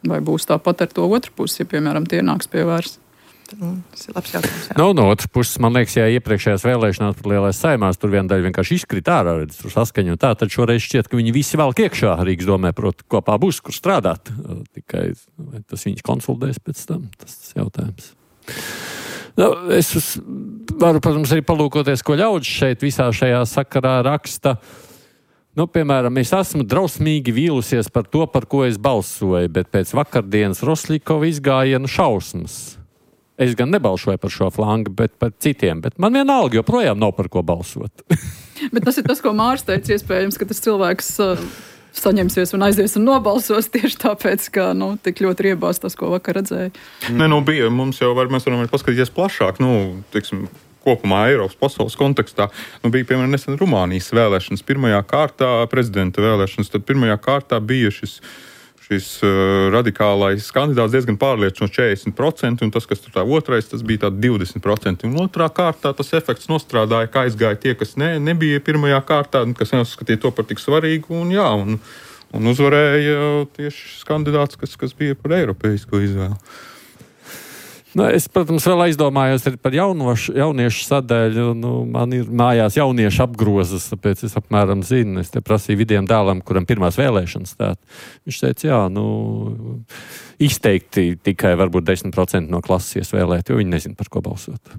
vai būs tāpat ar to otru pusi, ja, piemēram, tie nāks pie vairs. Tas ir labs jautājums. Nu, no otras puses, man liekas, ja iepriekšējās vēlēšanās par lielais saimās, tur viena daļa vienkārši izkrita ārā, redz, tur saskaņu un tā, tad šoreiz šķiet, ka viņi visi velk iekšā Rīgas domē, proti, kopā būs, kur strādāt. Tikai tas viņus konsolidēs pēc tam, tas tas jautājums. Nu, es varu, protams, arī palūkoties, ko ļaudis šeit visā šajā sakarā raksta. Nu, piemēram, es esmu drausmīgi vīlusies par to, par ko es balsoju, bet pēc vakardienas Rosļikova izgājienu šausmas. Es gan nebalsoju par šo flangu, bet par citiem, bet man vienalga joprojām nav par ko balsot. Bet tas ir tas, ko Mārs teica, iespējams, ka tas cilvēks uh, saņemsies un aizies un nobalsos tieši tāpēc, ka, nu, tik ļoti riebās tas, ko vakar redzēja. Nē, nu, bija, mums jau var, mēs varam paskatīties plašāk, nu, teiksim, kopumā Eiropas pasaules kontekstā. Nu, bija, piemēram, nesen Rumānijas vēlēšanas pirmajā kārtā, prezidenta vēlēšanas, tad pirmajā kārtā bija šis šis uh, radikālais kandidāts diezgan pārliecinoši četrdesmit procenti, un tas, kas tur tā otrais, tas bija tā divdesmit procenti. Un otrā kārtā tas efekts nostrādāja, kā aizgāja tie, kas ne, nebija pirmajā kārtā, kas neuzskatīja to par tik svarīgu, un jā, un, un uzvarēja tieši šis kandidāts, kas, kas bija par eiropeisko izvēli. Nu, es, protams, vēl aizdomājos par jaunošu, jauniešu sadaļu. Nu, man ir mājās jauniešu apgrozas, tāpēc es apmēram zinu. Es te prasīju vidiem dēlam, kuram pirmās vēlēšanas stāt. Viņš teica, jā, nu, izteikti tikai varbūt desmit procenti no klases iesvēlēt, jo viņi nezina, par ko balsot.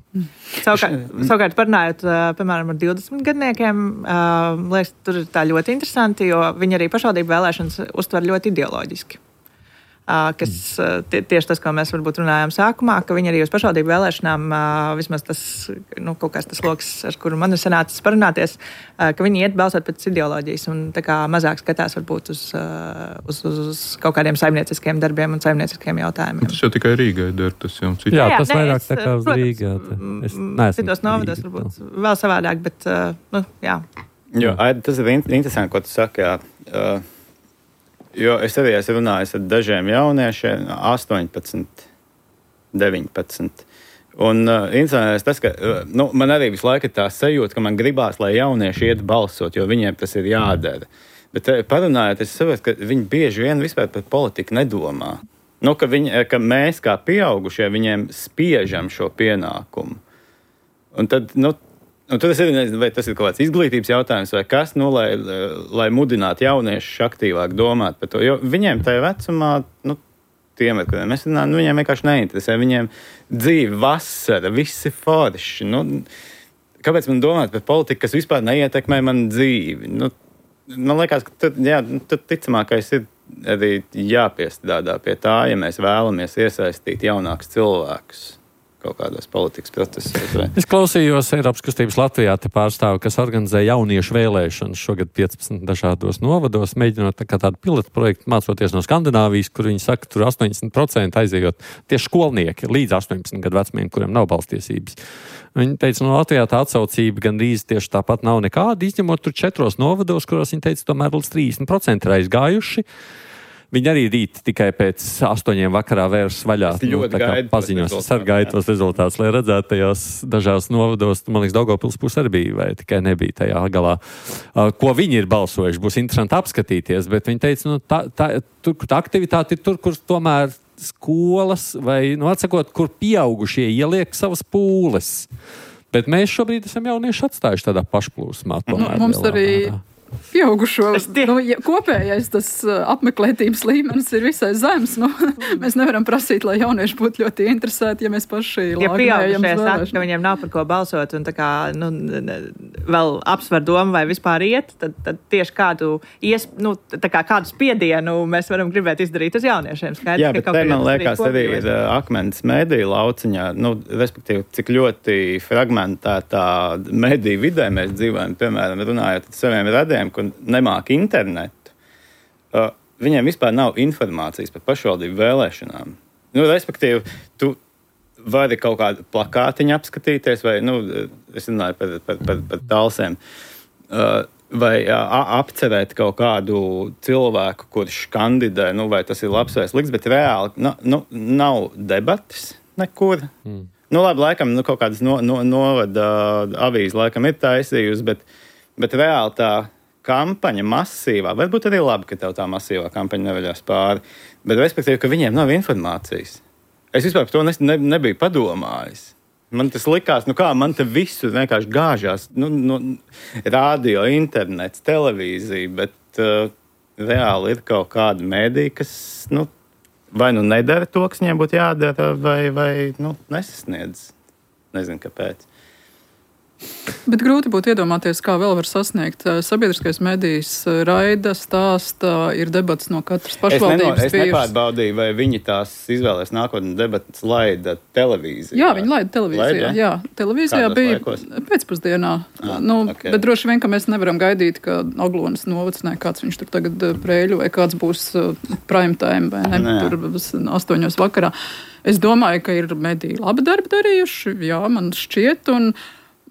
Savukārt, savukārt parunājot, piemēram, ar divdesmit gadniekiem, liekas, tur ir tā ļoti interesanti, jo viņi arī pašvaldību vēlēšanas uztver ļoti ideoloģiski. Kas tie, tieši tas, ko mēs varbūt runājām sākumā, ka viņi arī uz pašvaldību vēlēšanām, vismaz tas, nu, kaut kāds tas loks, ar kuru man ir sanācis parunāties, ka viņi iet balsot pēc ideoloģijas un tā kā mazāk skatās varbūt uz, uz, uz, uz kaut kādiem saimnieciskiem darbiem un saimnieciskiem jautājumiem. Tas jau tikai Rīgai der, tas jau cits. Jā, tas ne, vairāk es, tā kā uz Rīgā. Citos novados varbūt vēl savādāk, bet, nu, jā. Jo, tas ir interesanti, ko tu saki, jā. Uh, Jo es arī esmu runājis ar dažiem jauniešiem, astoņpadsmit, deviņpadsmit. Un uh, interesanti tas, ka uh, nu, man arī visu laiku ir tā sajūta, ka man gribās, lai jaunieši iet balsot, jo viņiem tas ir jādara. Bet uh, parunājot, es saprotu, ka viņi bieži vien vispār par politiku nedomā. Nu, ka, viņi, ka mēs kā pieaugušie viņiem spiežam šo pienākumu. Un tad, nu, Un tad es nezinu, vai tas ir kaut kāds izglītības jautājums vai kas, nu, lai, lai mudinātu jauniešus aktīvāk domāt par to. Jo viņiem tajā vecumā, nu, tiem, ar kuriem mēs runājam, nu, viņiem vienkārši neinteresē. Viņiem dzīve, vasara, viss ir forši. Nu, kāpēc man domāt par politiku, kas vispār neietekmē manu dzīvi? Nu, man liekas, ka tad, jā, tad ticamākais ir arī jāpiestrādā pie tā, ja mēs vēlamies iesaistīt jaunākus cilvēkus kaut kādos politikas procesos. Vai... Es klausījos Eiropas kustības Latvijā te pārstāvu, kas organizē jauniešu vēlēšanas šogad piecpadsmit dažādos novados, mēģinot tā kā tādu pilotu projektu, mācoties no Skandināvijas, kur viņi saka, tur astoņdesmit procenti aizējot tieši skolnieki līdz astoņpadsmit gadu vecumiem, kuriem nav balstiesības. Viņi teica, no Latvijā tā atsaucība gandrīz tieši tāpat nav nekāda, izņemot tur četros novados, kuros viņi teica, tomēr līdz trīsdesmit procenti ir aizgājuši. Viņi arī rīt tikai pēc astoņiem vakarā vērs vaļā. Nu, tā kā paziņos, es arī gaidu tos rezultātus, lai redzētu tajos dažās novados. Man liekas, Daugavpils puse arī bija, vai tikai nebija tajā galā. Uh, ko viņi ir balsojuši, būs interesanti apskatīties, bet viņi teica, nu, tā, tā, tur, tā aktivitāte ir tur, kur tomēr skolas vai, nu, atsakot, kur pieaugušie ieliek savas pūles. Bet mēs šobrīd esam jaunieši atstājuši tādā pašplūsmā. Nu, mums arī pieaugušo nu, ja, kopējais tas uh, apmeklētības līmenis ir visai zems. Nu, mēs nevaram prasīt, lai jaunieši būtu ļoti interesēti, ja mēs paši ja pieaugušie saka, ka viņiem nav par ko balsot un tā kā, nu, vēl apsver domu vai vispār iet, tad, tad tieši kādu, ies, nu, tā kā kādu spiedienu mēs varam gribēt izdarīt uz jauniešiem. Skaidrs, jā, bet te man liekas arī ir uh, akmens mediju lauciņā, nu, respektīvi, cik ļoti fragmentētā mediju vidē mēs dzīvojam, piemēram, runājot ar saviem radiem, kur nemāk internetu, uh, viņiem vispār nav informācijas par pašvaldību vēlēšanām. Nu, respektīvi, tu vari kaut kādu plakātiņu apskatīties, vai, nu, es runāju par, par, par, par talsēm, uh, vai uh, apcerēt kaut kādu cilvēku, kurš kandidē, nu, vai tas ir labs vai slikts, bet reāli nu, nu, nav debatas nekur. Mm. Nu, labi, laikam, nu, kaut kādas no, no, novada avīze laikam ir taisījusi, bet, bet reāli tā kampaņa masīvā, varbūt arī labi, ka tev tā masīvā kampaņa nevaļās pāri, bet respektīvi, ka viņiem nav informācijas. Es vispār par to ne, ne, nebiju padomājis. Man tas likās, nu kā, man te visu vienkārši gāžās, nu, nu, radio, internets, televīzija, bet uh, reāli ir kaut kāda mēdī, kas, nu, vai nu nedara to, kas viņiem būtu jādara, vai, vai nu, nesasniedz. Nezinu, kāpēc. Bet grūti būtu iedomāties, kā vēl var sasniegt. Sabiedriskais medijs raida, stāsta, ir debats no katras pašvaldības. Es, neno, es nepārbaudīju, vai viņi tās izvēlēs nākotnē debatas laida televīzijā. Jā, viņi laida televīzijā. Laida? Jā, televīzijā Kādos bija laikos? Pēcpusdienā. Ah, nu, okay. Bet droši vien, ka mēs nevaram gaidīt, ka Aglonas novads, ne, kāds viņš tur tagad prēļu, vai kāds būs prime time, vai ne, ne. Tur astoņos vakarā. Es domāju, ka ir mediji labi darbi darījuši, jā, man šķiet, un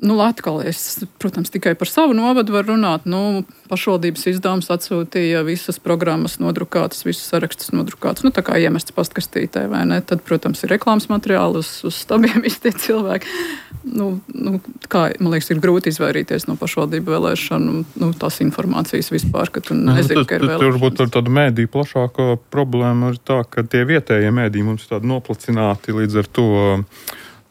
nu, atkal es, protams, tikai par savu novadu varu runāt. Nu, pašvaldības izdevums atsūtīja visas programmas nodrukātas, visas sarakstas nodrukātas. Nu, tā kā iemests pastkastītē, vai ne? Tad, protams, ir reklāmas materiāli uz, uz stabiem visi tie cilvēki. Nu, nu, kā, man liekas, ir grūti izvairīties no pašvaldību vēlēšanu, nu, tās informācijas vispār, ka tu nezini, ka ir vēlēšanas. Tur būtu tāda mēdī plašākā problēma ir tā, ka tie vietējie mēdī mums ir tādi noplacināti līdz ar to.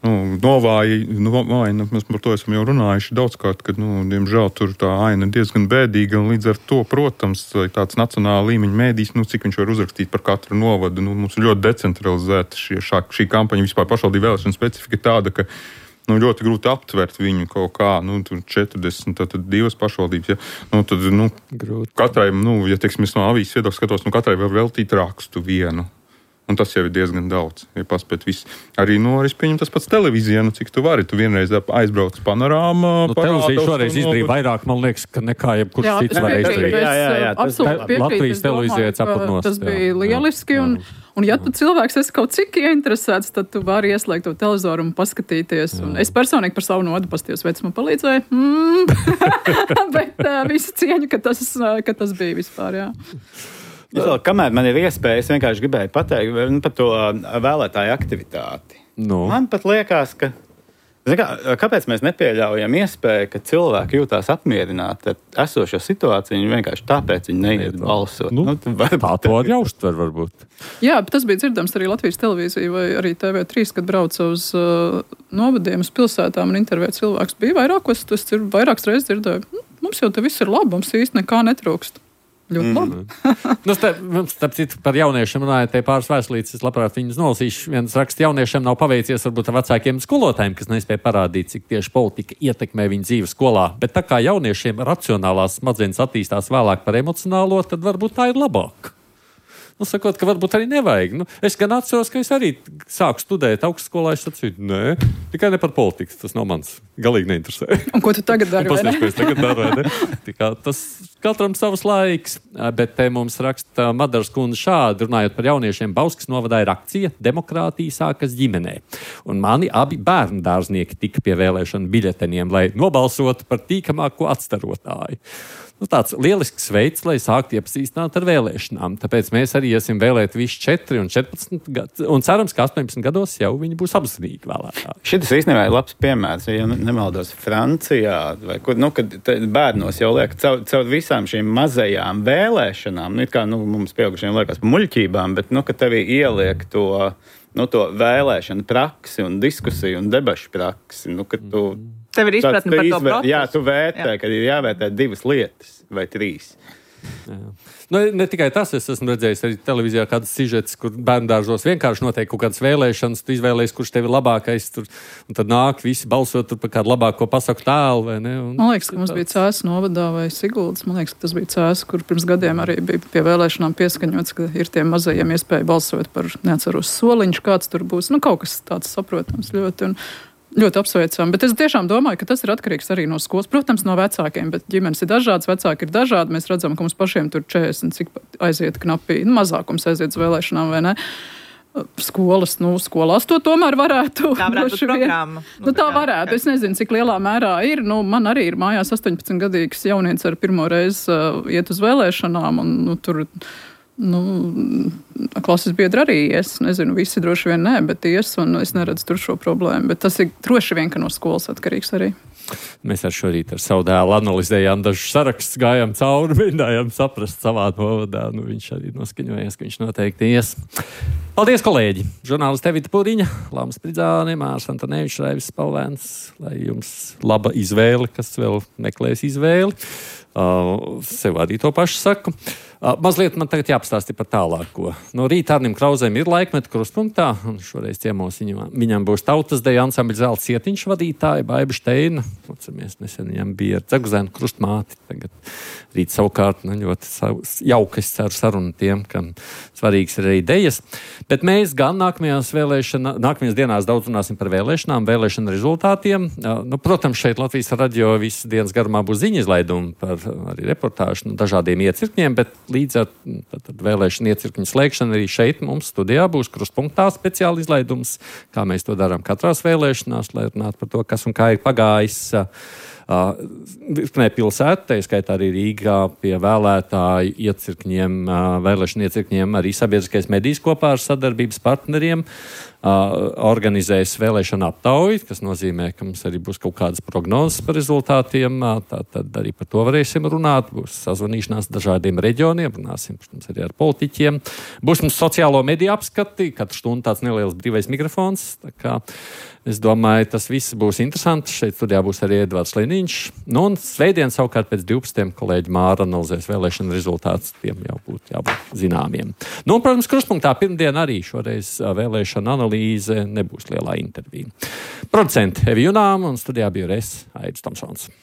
Nu, novāji, novāji, mēs par to esam jau runājuši daudzkārt, ka, nu, diemžēl tur tā aina diezgan bēdīga, un līdz ar to, protams, tāds nacionāla līmeņa mēdījis, nu, cik viņš var uzrakstīt par katru novadu, nu, mums ir ļoti decentralizēta šie, šā, šī kampaņa, vispār pašvaldību vēlēšana specifika tāda, ka, nu, ļoti grūti aptvert viņu kaut kā, nu, tur četrdesmit, tad divas pašvaldības, ja, nu, tad, nu, grūti. Katrai, nu, ja, teiksim, es no avīzes viedokļa skatos, nu, katrai var veltīt rakstu vienu. Un tas jau ir diezgan daudz. Ja paspēt viss. Arī, nu, arī pieņem tas pats televīzijā, nu, cik tu vari. Tu vienreiz aizbrauc panorāmā. Nu, televīzija šoreiz izdarīja vairāk, man liekas, ka nekā jebkurš jā, cits varēja izdarīt. Jā, jā, jā. Absolūti Latvijas televīzijā cepatnos. Tas bija lieliski. Un, un ja tu cilvēks esi kaut cik ieinteresēts, tad tu vari ieslēgt to televizoru un paskatīties. Un es personīgi par savu nodu pastījos, veids man palīdzēja. Mm. Bet uh, visu cieņu, ka tas, uh, ka tas bija vispār, jā. Vēl, kamēr man ir iespēja, es vienkārši gribēju pateikt par to vēlētāju aktivitāti. No. Man pat liekas, ka kā, kāpēc mēs nepieļaujam iespēju, ka cilvēki jūtās apmierināti ar esošo situāciju, viņi vienkārši tāpēc viņi neiet balsot. Nu, nu, var, tā to var jāuztver varbūt. Jā, bet tas bija dzirdams arī Latvijas televīzija vai arī T V trīs, kad brauca uz uh, novadiem, uz pilsētām un intervēja cilvēks. Bija vairākos, tas ir vairākas reizes dzirdēju. Mums jau te viss ir labi, mums īsti nekā netrūkst. Ļoti labi. Mm. nu, starp, starp citu, par jauniešiem runājot, te pāris vēstulītes, es labprāt viņus nolasīšu. Viens raksts jauniešiem nav paveicies varbūt ar vecākiem skolotājiem, kas nespēja parādīt, cik tieši politika ietekmē viņu dzīvi skolā. Bet tā kā jauniešiem racionālās smadzenes attīstās vēlāk par emocionālo, tad varbūt tā ir labāk. Nu, sakot, ka varbūt arī nevajag. Nu, es gan atceros, ka es arī sāku studēt augstskolā. Es sacīju, nē, tikai ne par politiku. Tas nav mans. Galīgi neinteresē. Un ko tu tagad dari? Pasniedz, ko es tagad daru, vai ne? Tikā, tas katram savs laiks. Bet te mums raksta Madaras kundze šādi, runājot par jauniešiem, Bauskas novadā ir akcija Demokrātija sākas ģimenē. Un mani abi bērnu dārznieki tika pie vēlēšanu biļeteniem, lai nobalsotu par tīkamāko atstarotāju. Nu, tāds lielisks veids, lai sāktu iepazīstināt ar vēlēšanām. Tāpēc mēs arī iesim vēlēt visi četri un četrpadsmit gadu, un cerams, ka astoņpadsmit gados jau viņi būs apzinīgi vēlētāji. Šis īstenībā ir labs piemērs, ja nemaldos Francijā, vai kur, nu, kad bērnos jau liek caur, caur visām šīm mazajām vēlēšanām, nu, it kā nu, mums pieaugušiem liekas par muļķībām, bet, nu, ka tevī ieliek to, nu, to vēlēšanu praksi un diskusiju un debašu praksi, nu, ka tu... Tev ir izpratne par to procesu. Jā, tu vērtē, jā. Ka ir jāvērtē divas lietas vai trīs. Jā. Nu, ne tikai tas, es esmu redzējis arī televīzijā kādas sižetes, kur bērndārzos vienkārši notiek kaut kādas vēlēšanas, tu izvēlējies, kurš tev ir labākais, tur, un tad nāk visi balsot tur par kādu labāko pasaku tēlu, vai ne? Un, man liekas, ka mums tāds... bija Cēsu novadā vai Siguldas, man liekas, ka tas bija Cēsu, kur pirms gadiem arī bija pie vēlēšanām pieskaņots, ka ir tiem mazajiem iespēja balsot par, neatceros, soliņš, kāds tur būs, nu kaut kas tāds saprotams ļoti, un ļoti apsveicami, bet es tiešām domāju, ka tas ir atkarīgs arī no skolas. Protams, no vecākiem, bet ģimenes ir dažādas, vecāki ir dažādi. Mēs redzam, ka mums pašiem tur četrdesmit, cik aiziet knapi, nu, mazākums aiziet uz vēlēšanām, vai ne? Skolas, nu, skolās to tomēr varētu. Tā varētu būt programma. Nu, tā varētu. Es nezinu, cik lielā mērā ir. Nu, man arī ir mājās astoņpadsmitgadīgs jaunietis ar pirmo reizi uh, iet uz vēlēšanām, un nu, tur... Nu, klases biedri arī ies, nezinu, visi droši vien nē, bet ies, un es neredzu tur šo problēmu, bet tas ir droši vien, ka no skolas atkarīgs arī. Mēs ar šorīt ar savu dēlu analizējām dažus sarakstus, gājām cauri, mēģinājām saprast savā novadā, nu viņš arī noskaņojies, ka viņš noteikti ies. Paldies, kolēģi! Žurnālisti Evita Pūriņa, Lāmas Pridzāne, Mārs Antonevičs, Raivis Spalvēns, lai jums laba izvēle, kas vēl meklēs izvēli. Uh, sev arī to pašu saku. Uh, mazliet man tagad jāpastāsti par tālāko. No rīta Arnim Krauzēm ir laikmeta krustpunktā, un šoreiz ciemos viņam, viņam būs tautas deja ansambļa Zelta Cietiņš vadītāja, Baiba Šteina. Atceramies, nesen viņam bija ar Dzeguzēnu krustmāti. Tagad rīt savukārt nu, ļoti jauka, es ceru, saruna tiem, kam svarīgs ir arī dejas. Bet mēs gan nākamajās, vēlēšana, nākamajās dienās daudz runāsim par vēlēšanām, vēlēšana rezultātiem. Uh, nu, protams, šeit Latvijas radio visas dienas garumā būs ziņa izlaidumi par arī reportāžu no dažādiem iecirkņiem, bet līdz ar tad, vēlēšanu iecirkņu slēgšanu arī šeit mums studijā būs krustpunktā speciāli izlaidums, kā mēs to darām katrās vēlēšanās, lai runātu par to, kas un kā ir pagājis virknē uh, pilsētu, tā skaitā arī Rīgā pie vēlētāju iecirkņiem, uh, vēlēšanu iecirkņiem arī sabiedriskais medijs kopā ar sadarbības partneriem Uh, organizēs vēlēšanu aptauju, kas nozīmē, ka mums arī būs kaut kādas prognozes par rezultātiem. Uh, tā tad arī par to varēsim runāt. Būs sazvanīšanās dažādiem reģioniem, runāsim, protams, arī ar politiķiem. Būs mums sociālo mediju apskati, katru stundu tāds neliels brīvais mikrofons. Tā kā es domāju, tas viss būs interesanti. Šeit studijā būs arī Edvards Liniņš. Nu, un svētdien savukārt pēc divpadsmitiem kolēģi Māra analizēs vēlēšanu rezultātus. Tiem jau būtu jābūt zināmiem. Nu, un, protams, krustpunktā pirmdien arī šoreiz vēlēšana analīze nebūs lielā intervija. Producenti Evi Junām un studijā biju es, Aidis Tomsons.